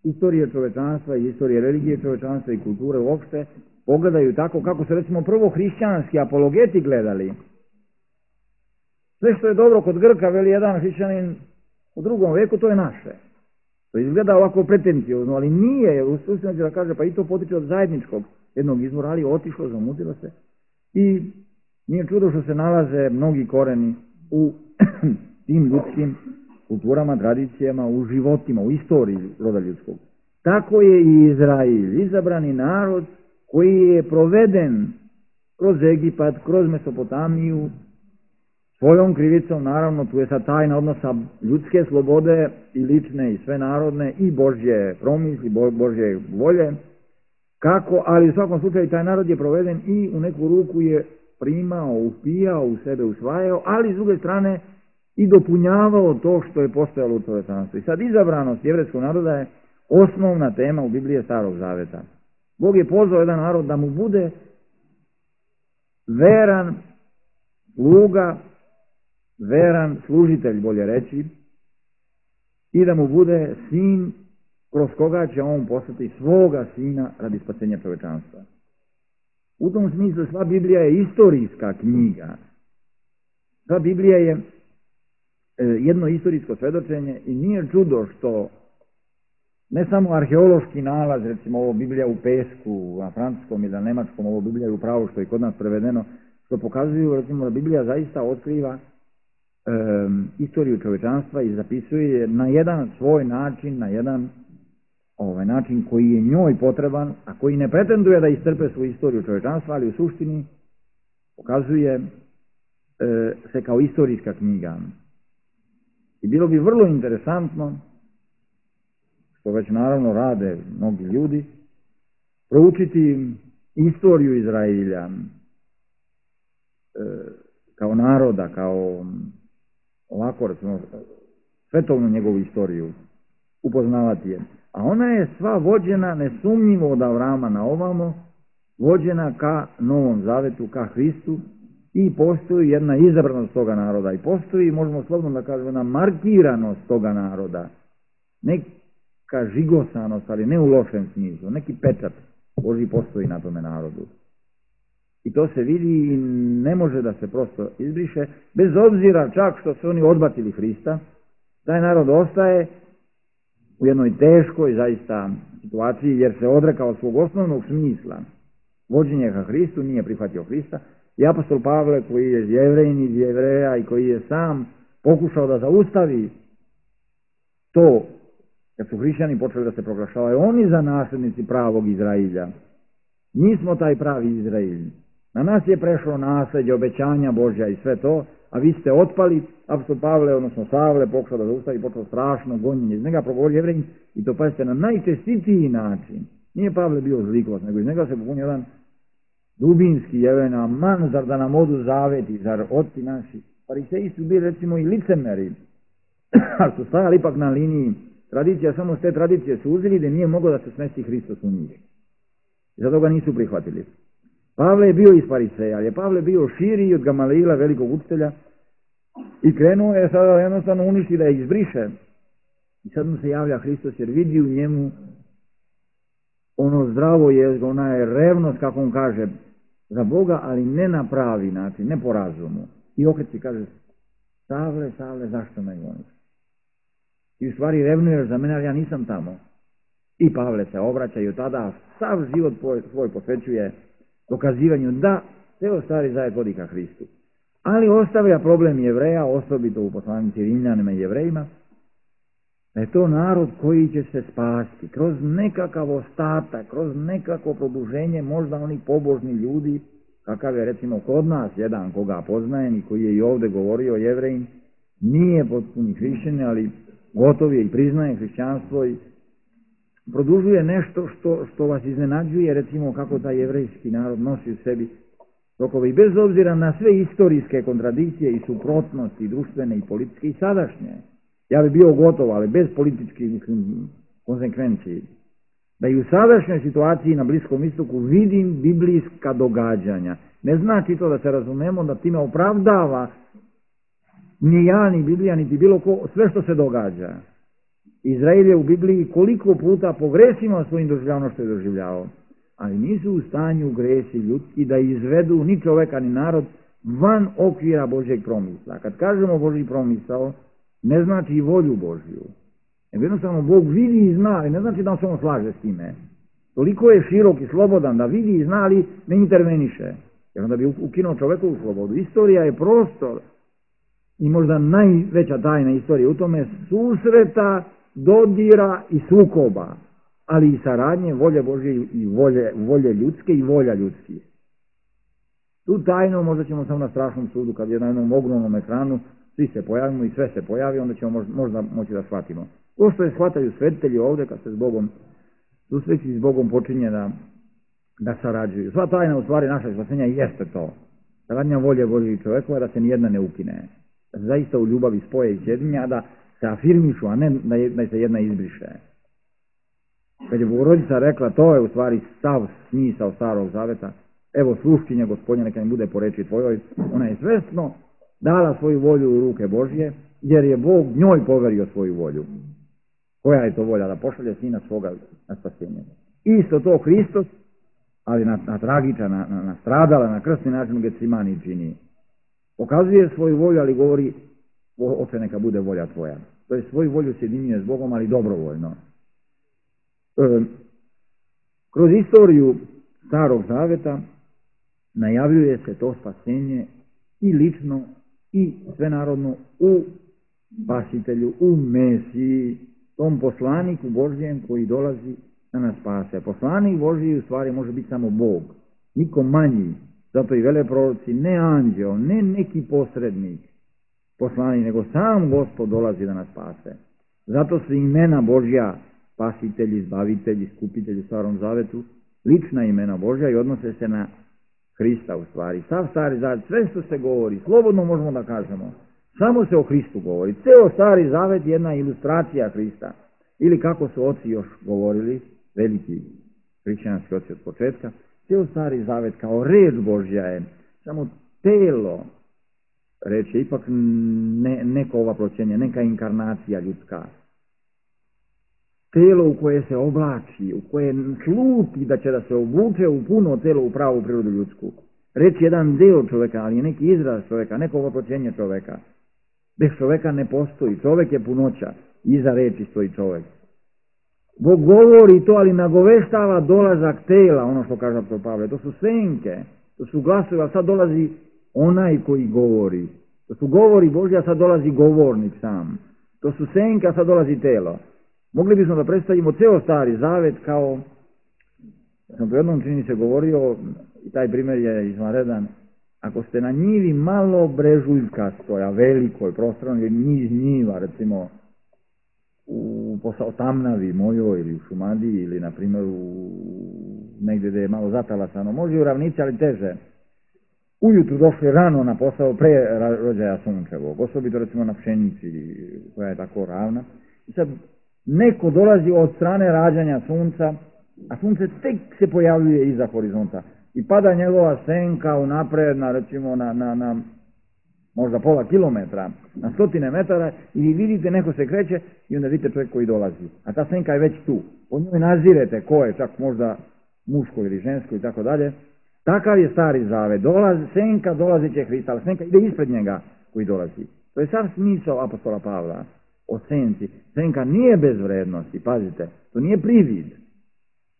istorije čovečanstva i istorije religije čovečanstva i kulture uopšte pogledaju tako kako su recimo prvo hrišćanski apologeti gledali. Sve što je dobro kod Grka, veli jedan hrišćanin u drugom veku, to je naše. To izgleda ovako pretenciozno, ali nije, u suštini da kaže, pa i to potiče od zajedničkog jednog izvora, ali otišlo, zamutilo se. I nije čudo što se nalaze mnogi koreni u tim ljudskim kulturama, tradicijama, u životima, u istoriji roda ljudskog. Tako je i Izrail, izabrani narod koji je proveden kroz Egipat, kroz Mesopotamiju, svojom krivicom, naravno, tu je sad tajna odnosa ljudske slobode i lične i sve narodne i Božje promisli, Božje volje, kako, ali u svakom slučaju taj narod je proveden i u neku ruku je primao, upijao, u sebe usvajao, ali s druge strane i dopunjavao to što je postojalo u čovečanstvu. I sad izabranost jevrejskog naroda je osnovna tema u Bibliji Starog Zaveta. Bog je pozvao jedan narod da mu bude veran sluga, veran služitelj, bolje reći, i da mu bude sin kroz koga će on poslati svoga sina radi spasenja čovečanstva. U tom smislu sva Biblija je istorijska knjiga. Sva Biblija je jedno istorijsko svedočenje i nije čudo što ne samo arheološki nalaz, recimo ovo Biblija u pesku, na francuskom ili na nemačkom, ovo Biblija u pravo što je kod nas prevedeno, što pokazuju recimo da Biblija zaista otkriva istoriju čovječanstva i zapisuje je na jedan svoj način, na jedan ovaj način koji je njoj potreban, a koji ne pretenduje da istrpe svoju istoriju čovječanstva, ali u suštini pokazuje e, se kao istorijska knjiga. I bilo bi vrlo interesantno, što već naravno rade mnogi ljudi, proučiti istoriju Izraelja e, kao naroda, kao ovako, recimo, svetovnu njegovu istoriju, upoznavati je. A ona je sva vođena nesumnjivo od Avrama na ovamo, vođena ka Novom Zavetu, ka Hristu, i postoji jedna izabranost toga naroda i postoji, možemo slobodno da kažemo, jedna markiranost toga naroda, neka žigosanost, ali ne u lošem smislu, neki pečat Božji postoji na tome narodu. I to se vidi i ne može da se prosto izbriše, bez obzira čak što su oni odbacili Hrista, taj narod ostaje u jednoj teškoj zaista situaciji, jer se odrekao svog osnovnog smisla vođenja ka Hristu, nije prihvatio Hrista. I apostol Pavle, koji je Jevrejin iz Jevreja i koji je sam pokušao da zaustavi to, kad su hrišćani počeli da se proglašavaju oni za naslednici pravog Izrailja. Mi smo taj pravi Izrailj. Na nas je prešlo nasljeđe, obećanja Božja i sve to, a vi ste otpali. Apostol Pavle, odnosno Savle, pokušao da zaustavi, počeo strašno gonjenje. Iz njega progovori Jevrejin, i to pazite na najčestitiji način. Nije Pavle bio zlikos, nego iz njega se popunio jedan dubinski Jevrejina, man, zar da nam odu zaveti, zar otci naši. Fariseji su bili recimo i licemeri, ali su stajali ipak na liniji tradicija, samo s te tradicije su uzeli da nije moglo da se smesti Hristos u njih. I zato ga nisu prihvatili. Pavle je bio iz Fariseja, ali je Pavle bio širi od Gamalila, velikog učitelja, i krenuo je sada jednostavno uništi da je izbriše. I sad mu se javlja Hristos jer vidi u njemu ono zdravo je, ona je revnost, kako on kaže, za Boga, ali ne na pravi način, ne po razumu. I okreći kaže, Savle, Savle, zašto me goniš? I u stvari revnuješ za mene, ali ja nisam tamo. I Pavle se obraća i od tada sav život svoj posvećuje dokazivanju da ceo stari zavet vodi ka Hristu. Ali ostavlja problem Jevreja, osobito u poslanici Rimljanima i Jevrejima, da je to narod koji će se spasti kroz nekakav ostatak, kroz nekako produženje možda onih pobožni ljudi, kakav je recimo kod nas jedan koga poznajem i koji je i ovdje govorio Jevrejin, nije potpuni hrišćan, ali gotov je i priznaje hrišćanstvo i produžuje nešto što, što vas iznenađuje, recimo kako taj jevrejski narod nosi u sebi tokove. I bez obzira na sve istorijske kontradikcije i suprotnosti, društvene i političke i sadašnje, ja bi bio gotov, ali bez političkih, mislim, konsekvenciji, da i u sadašnjoj situaciji na Bliskom istoku vidim biblijska događanja. Ne znači to da se razumemo da time opravdava ni ja, ni Biblija, niti bilo ko, sve što se događa. Izrael je u Bibliji koliko puta pogrešimo svojim doživljavom što je doživljavao, ali nisu u stanju gresi ljudski da izvedu ni čoveka ni narod van okvira Božjeg promisla. Kad kažemo Božji promisao, ne znači i volju Božju. Jednostavno Bog vidi i zna, ali ne znači da se on slaže s time. Toliko je širok i slobodan da vidi i zna, ali ne interveniše. Jer onda bi ukinuo čovekovu slobodu. Istorija je prostor i možda najveća tajna istorije u tome susreta, dodira i sukoba, ali i saradnje volje Božje i volje, volje ljudske i volja ljudskih. Tu tajnu možda ćemo samo na strašnom sudu, kad je na jednom ogromnom ekranu, svi se pojavimo i sve se pojavi, onda ćemo možda moći da shvatimo. To što je shvataju svetitelji ovdje, kad se s Bogom susreći, s Bogom počinje da, da sarađuju. Sva tajna u stvari našeg spasenja jeste to. Saradnja volje Božje i čovekova, da se nijedna ne ukine. Da se zaista u ljubavi spoje i sjedinja, a da se afirmišu, a ne da, je, da se jedna izbriše. Kad je Bogorodica rekla, to je u stvari stav smisao Starog Zaveta, evo sluškinja Gospodnja, neka mi bude po reči tvojoj, ona je svesno dala svoju volju u ruke Božje, jer je Bog njoj poverio svoju volju. Koja je to volja? Da pošalje sina svoga na spasenje. Isto to Hristos, ali na, na tragičan, na, na, na stradala, na krstni način u Getsimani čini. Pokazuje svoju volju, ali govori, oče, neka bude volja tvoja. To je svoju volju sjedinjuje s Bogom, ali dobrovoljno. E, kroz istoriju Starog Zaveta najavljuje se to spasenje i lično i svenarodno u spasitelju, u Mesiji, tom poslaniku Božjem koji dolazi da nas spase. Poslanik Božji u stvari može biti samo Bog, niko manji. Zato i vele proroci, ne anđeo, ne neki posrednik poslanik, nego sam Gospod dolazi da nas spase. Zato su imena Božja, spasitelji, izbavitelji, skupitelji u Starom Zavetu, lična imena Božja i odnose se na Hrista u stvari. Sav Stari Zavet, sve što se govori, slobodno možemo da kažemo, samo se o Hristu govori. Ceo Stari Zavet je jedna ilustracija Hrista. Ili kako su oci još govorili, veliki hrišćanski oci od početka, ceo Stari Zavet kao reč Božja je samo telo, reč je ipak ne, neko ovaploćenje, neka inkarnacija ljudska. Telo u koje se oblači, u koje sluti da će da se obuče u puno telo, u pravu prirodu ljudsku. Reč je jedan deo čoveka, ali je neki izraz čoveka, neko ovaploćenje čoveka. Bez čoveka ne postoji, čovek je punoća, iza reči stoji čovek. Bog govori to, ali nagoveštava dolazak tela, ono što kaže apostol Pavle. To su senke, to su glasovi, ali sad dolazi onaj koji govori. To su govori Božja, a sad dolazi govornik sam. To su senke, a sad dolazi telo. Mogli bismo da predstavimo ceo Stari Zavet kao, ja sam to jednom čini se govorio, i taj primjer je izvanredan, ako ste na njivi malo brežuljkastoj, a velikoj, prostornoj, niz njiva, recimo, u Tamnavi mojoj ili u Šumadiji ili na primjer u negdje gdje je malo zatalasano, može i u ravnici, ali teže. Ujutru došli rano na posao pre rođaja sunčevog, osobito recimo na pšenici koja je tako ravna. I sad neko dolazi od strane rađanja sunca, a sunce tek se pojavljuje iza horizonta i pada njegova senka unapred na recimo na, na, na možda pola kilometra, na stotine metara i vi vidite neko se kreće i onda vidite čovjek koji dolazi. A ta senka je već tu. Po njoj nazirete ko je, čak možda muško ili žensko i tako dalje. Takav je Stari Zavet. Dolaz, senka dolazi će Hrista, ali senka ide ispred njega koji dolazi. To je sav smisao apostola Pavla o senci. Senka nije bez vrednosti, pazite, to nije privid,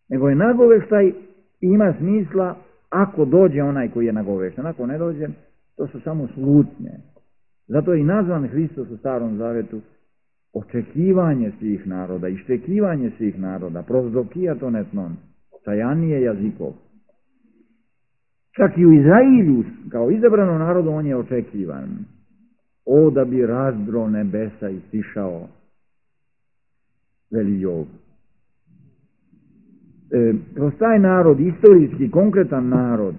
nego je nagoveštaj i ima smisla ako dođe onaj koji je nagovešten. Ako ne dođe, to su samo slutnje. Zato je i nazvan Hristos u Starom Zavetu očekivanje svih naroda, iščekivanje svih naroda, prozdokia to netnon, sajanije jazikov. Čak i u Izrailju, kao izabrano narodu, on je očekivan. O, da bi razdro nebesa i stišao, veli Jov. E, kroz taj narod, istorijski, konkretan narod,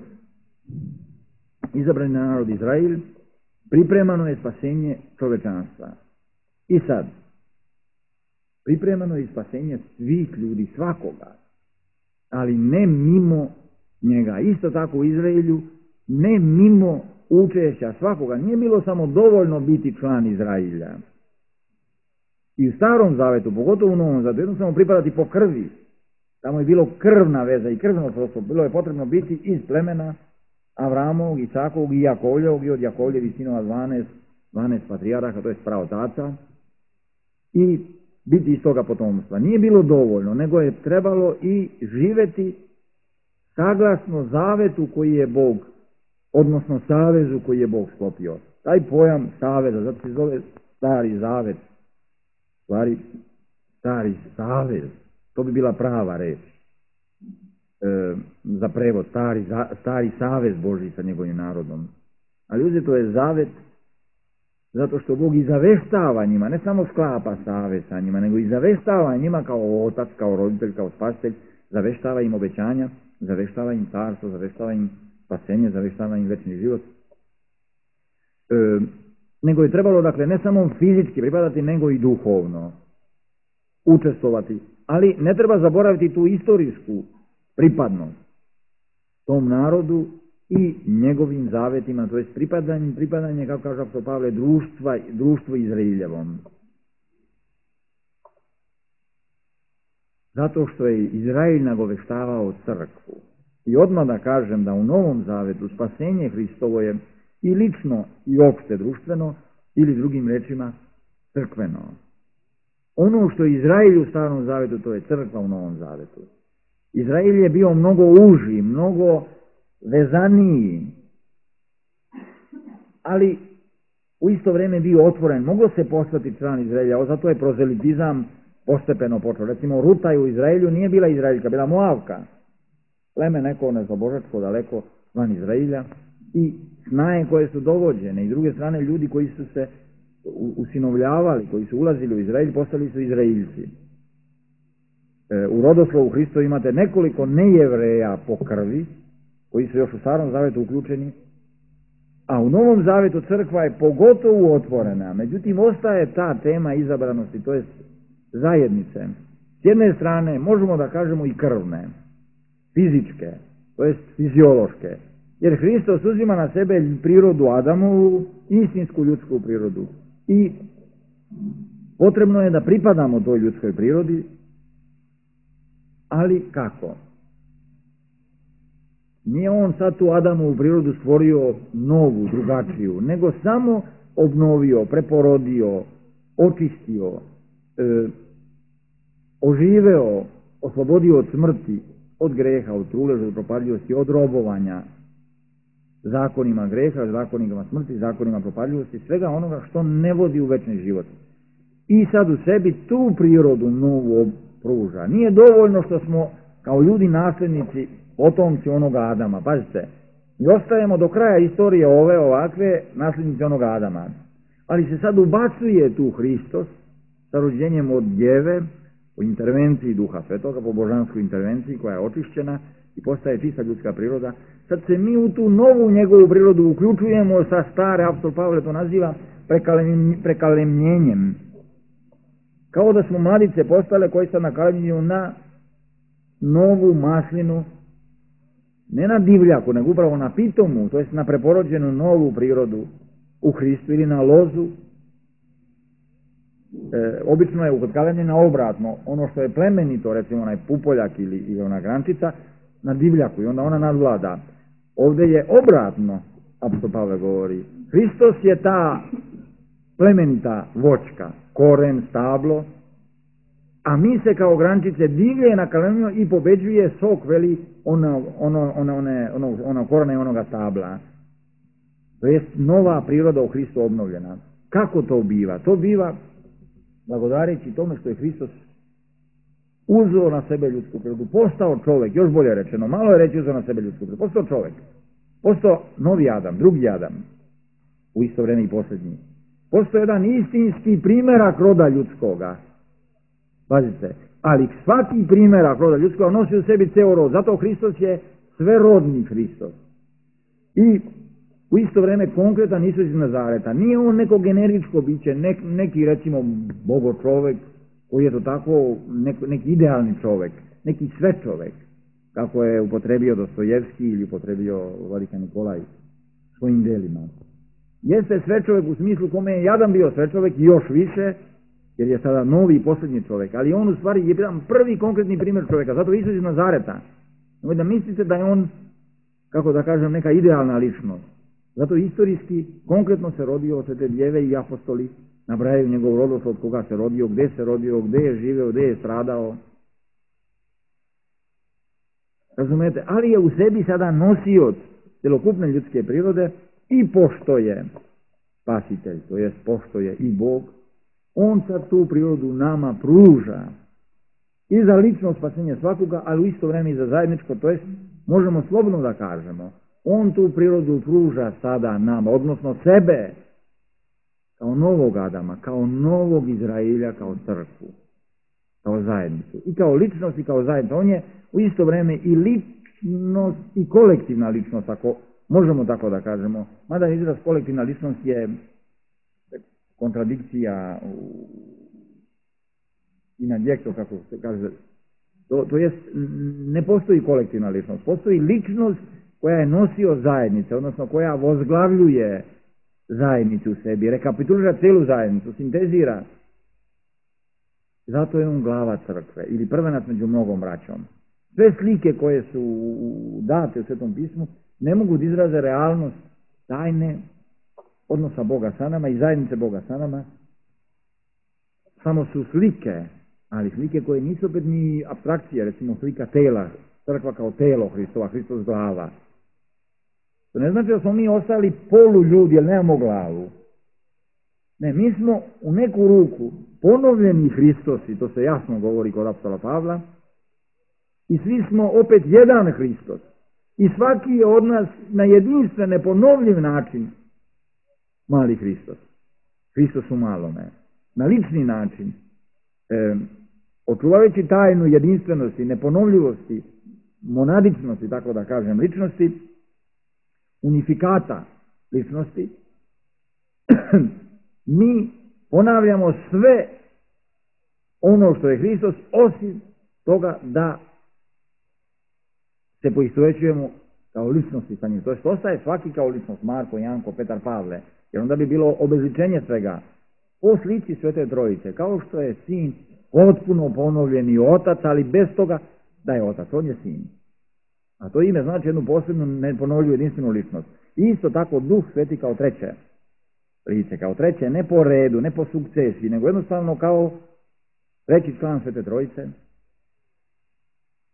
izabrani narod Izrail, pripremano je spasenje čovečanstva. I sad, pripremano je spasenje svih ljudi, svakoga, ali ne mimo njega. Isto tako u Izraelju, ne mimo učešća svakoga. Nije bilo samo dovoljno biti član Izrailja. I u Starom Zavetu, pogotovo u Novom Zavetu, jednostavno pripadati po krvi. Tamo je bilo krvna veza i krvno srodstvo. Bilo je potrebno biti iz plemena Avramovog, Isakovog i Jakovljevog i od Jakovljevi sinova dvanaest, dvanaest patrijaraha, to je praotaca, i biti iz toga potomstva. Nije bilo dovoljno, nego je trebalo i živeti saglasno zavetu koji je Bog, odnosno savezu koji je Bog sklopio. Taj pojam saveza, zato se zove Stari Zavet, stvari Stari Savez, to bi bila prava reč e, za prevod, stari, za, stari savez Božji sa njegovim narodom. Ali uzeto je zavet zato što Bog i zaveštava njima, ne samo sklapa savez sa njima, nego i zaveštava njima kao otac, kao roditelj, kao spasitelj, zaveštava im obećanja, zaveštava im carstvo, zaveštava im spasenje, zaveštava im večni život. E, nego je trebalo, dakle, ne samo fizički pripadati, nego i duhovno učestvovati. Ali ne treba zaboraviti tu istorijsku pripadnost tom narodu i njegovim zavetima, to je pripadanje, pripadanje, kako kaže apostol Pavle, društva, društvu Izraeljevom. Zato što je Izrael nagoveštavao crkvu. I odmah da kažem da u Novom Zavetu spasenje Hristovo je i lično i opšte društveno, ili drugim rečima crkveno. Ono što je Izrael u Starom Zavetu, to je crkva u Novom Zavetu. Izrael je bio mnogo uži, mnogo vezaniji, ali u isto vrijeme bio otvoren, moglo se postati član Izraelja, zato je prozelitizam postepeno počeo. Recimo, Ruta u Izraelju nije bila Izraeljka, bila Moavka. Pleme neko nezabožačko daleko van Izraelja i snaje koje su dovođene i s druge strane ljudi koji su se usinovljavali, koji su ulazili u Izraelj, postali su Izraeljci. E, u rodoslovu Hristo imate nekoliko nejevreja po krvi, koji su još u Starom Zavetu uključeni, a u Novom Zavetu crkva je pogotovo otvorena. Međutim, ostaje ta tema izabranosti, to je zajednice. S jedne strane, možemo da kažemo i krvne, fizičke, to jest fiziološke, jer Hristos uzima na sebe prirodu Adamovu, istinsku ljudsku prirodu. I potrebno je da pripadamo toj ljudskoj prirodi, ali kako? Nije on sad tu Adamovu prirodu stvorio novu, drugačiju, nego samo obnovio, preporodio, očistio, e, oživeo, oslobodio od smrti, od greha, od truleža, od propadljivosti, od robovanja, zakonima greha, zakonima smrti, zakonima propadljivosti, svega onoga što ne vodi u večni život. I sad u sebi tu prirodu novu pruža. Nije dovoljno što smo kao ljudi nasljednici, potomci onoga Adama. Pazite, mi ostajemo do kraja istorije ove ovakve nasljednici onoga Adama. Ali se sad ubacuje tu Hristos sa rođenjem od djeve, u intervenciji Duha Svetoga, po božanskoj intervenciji koja je očišćena i postaje čista ljudska priroda. Sad se mi u tu novu njegovu prirodu uključujemo sa stare, apostol Pavle to naziva prekalemljenjem. Kao da smo mladice postale koji se nakalemljuju na novu maslinu, ne na divljaku, nego upravo na pitomu, to jest na preporođenu novu prirodu u Hristu ili na lozu. E, obično je ukotkalemljena obratno, ono što je plemenito, recimo onaj pupoljak ili, ili ona grančica, na divljaku i onda ona nadvlada. Ovdje je obratno, apostol Pavle govori. Hristos je ta plemenita voćka, koren, stablo, a mi se kao grančice divlje nakalemljujemo i pobeđuje sok, veli, ono, ono, ono, one, ono, ono korene onoga stabla. To je nova priroda u Hristu obnovljena. Kako to biva? To biva blagodareći tome što je Hristos uzeo na sebe ljudsku prirodu, postao čovjek, još bolje rečeno, malo je reći uzeo na sebe ljudsku prirodu, postao čovjek, postao novi Adam, drugi Adam, u isto vrijeme i posljednji. Postao jedan istinski primjerak roda ljudskoga. Pazite, ali svaki primjerak roda ljudskoga nosi u sebi ceo rod, zato Hristos je sverodni Hristos. I u isto vrijeme konkretan Isus iz Nazareta. Nije on neko generičko biće, nek, neki recimo bogo čovjek, koji je to tako nek, neki idealni čovjek, neki sve čovjek, kako je upotrebio Dostojevski ili upotrebio Vladika Nikolaj svojim delima. Jeste sve čovjek u smislu kome je jadan bio sve čovjek i još više, jer je sada novi i posljednji čovjek, ali on u stvari je jedan prvi konkretni primjer čovjeka, zato Isus iz Nazareta. Nemoj da mislite da je on, kako da kažem, neka idealna ličnost. Zato istorijski, konkretno se rodio od te djeve i apostoli, nabrajaju njegov rodoslov od koga se rodio, gdje se rodio, gdje je živeo, gdje je stradao. Razumete? Ali je u sebi sada nosioc celokupne ljudske prirode i pošto je spasitelj, to jest pošto je i Bog, on sad tu prirodu nama pruža i za lično spasenje svakoga, ali u isto vrijeme i za zajedničko, to jest možemo slobodno da kažemo, on tu prirodu pruža sada nama, odnosno sebe, kao novog Adama, kao novog Izraelja, kao crkvu, kao zajednicu. I kao ličnost i kao zajednica. On je u isto vrijeme i ličnost i kolektivna ličnost, ako možemo tako da kažemo. Mada izraz kolektivna ličnost je kontradikcija i na djekto, kako se kaže. To, to jest, ne postoji kolektivna ličnost. Postoji ličnost koja je nosio zajednice, odnosno koja vozglavljuje zajednicu u sebi, rekapitulira cijelu zajednicu, sintezira. Zato je on glava crkve, ili prvenac među mnogom braćom. Sve slike koje su date u Svetom pismu ne mogu da izraze realnost tajne odnosa Boga sa nama i zajednice Boga sa nama. Samo su slike, ali slike koje nisu opet ni apstrakcije, recimo slika tela, crkva kao telo Hristova, Hristos glava. To ne znači da smo mi ostali polu ljudi, jer nemamo glavu. Ne, mi smo u neku ruku ponovljeni Hristosi, to se jasno govori kod apostola Pavla, i svi smo opet jedan Hristos. I svaki je od nas na jedinstven, neponovljiv način mali Hristos. Hristos u malome. Na lični način, e, očuvajući tajnu jedinstvenosti, neponovljivosti, monadičnosti, tako da kažem, ličnosti, unifikata ličnosti, mi ponavljamo sve ono što je Hristos, osim toga da se poistovjećujemo kao ličnosti sa njim. To je ostaje svaki kao ličnost, Marko, Janko, Petar, Pavle, jer onda bi bilo obezličenje svega. Po slici Svete Trojice, kao što je sin potpuno ponovljeni otac, ali bez toga da je otac, on je sin. A to ime znači jednu posebnu neponovljivu jedinstvenu ličnost. I isto tako Duh Sveti kao treće lice, kao treće, ne po redu, ne po sukcesiji, nego jednostavno kao treći član Svete Trojice,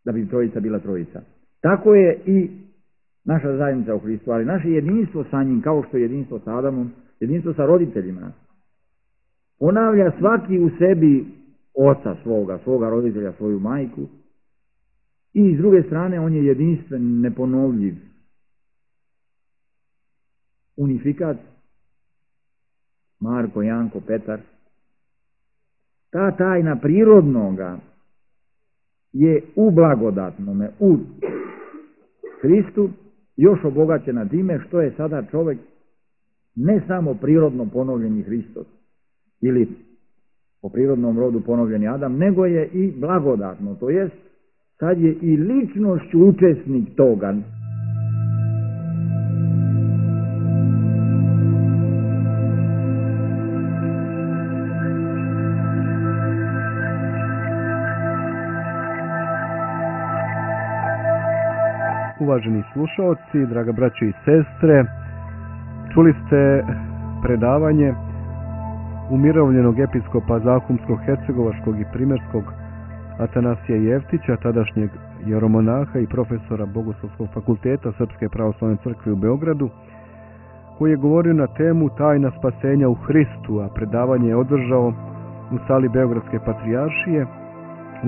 da bi Trojica bila Trojica. Tako je i naša zajednica u Hristu, ali naše jedinstvo sa njim, kao što je jedinstvo sa Adamom, jedinstvo sa roditeljima, ponavlja svaki u sebi oca svoga, svoga roditelja, svoju majku, i s druge strane on je jedinstven, neponovljiv unifikat, Marko, Janko, Petar. Ta tajna prirodnoga je u blagodatnome, u Hristu, još obogaćena time što je sada čovjek ne samo prirodno ponovljeni Hristos ili po prirodnom rodu ponovljeni Adam, nego je i blagodatno, to jest sad je i ličnošću učesnik toga. Uvaženi slušalci, draga braćo i sestre, čuli ste predavanje umirovljenog episkopa Zahumskog, Hercegovačkog i Primorskog Atanasija Jeftića, tadašnjeg jeromonaha i profesora Bogoslovskog fakulteta Srpske pravoslavne crkve u Beogradu, koji je govorio na temu tajna spasenja u Hristu, a predavanje je održao u sali Beogradske patrijaršije,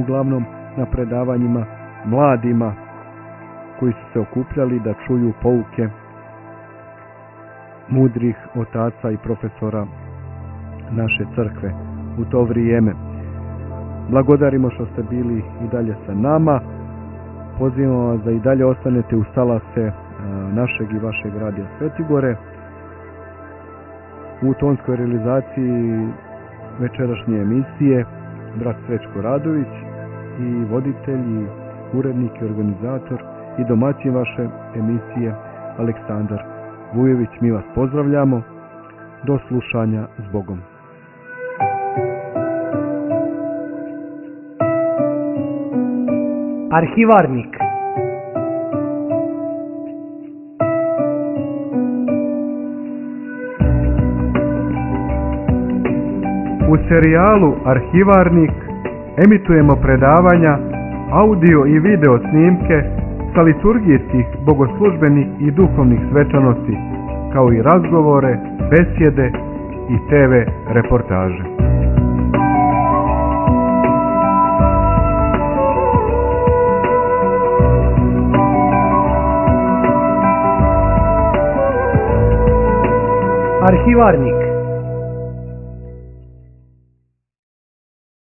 uglavnom na predavanjima mladima koji su se okupljali da čuju pouke mudrih otaca i profesora naše crkve u to vrijeme. Blagodarimo što ste bili i dalje sa nama. Pozivamo vas da i dalje ostanete uz talase našeg i vašeg radija Svetigore. U tonskoj realizaciji večerašnje emisije brat Srećko Radović i voditelj i urednik i organizator i domaćin vaše emisije Aleksandar Vujović. Mi vas pozdravljamo. Do slušanja, s Bogom. Arhivarnik. U serijalu Arhivarnik emitujemo predavanja, audio i video snimke sa liturgijskih, bogoslužbenih i duhovnih svečanosti, kao i razgovore, besjede i te ve reportaže. Arhivarnik.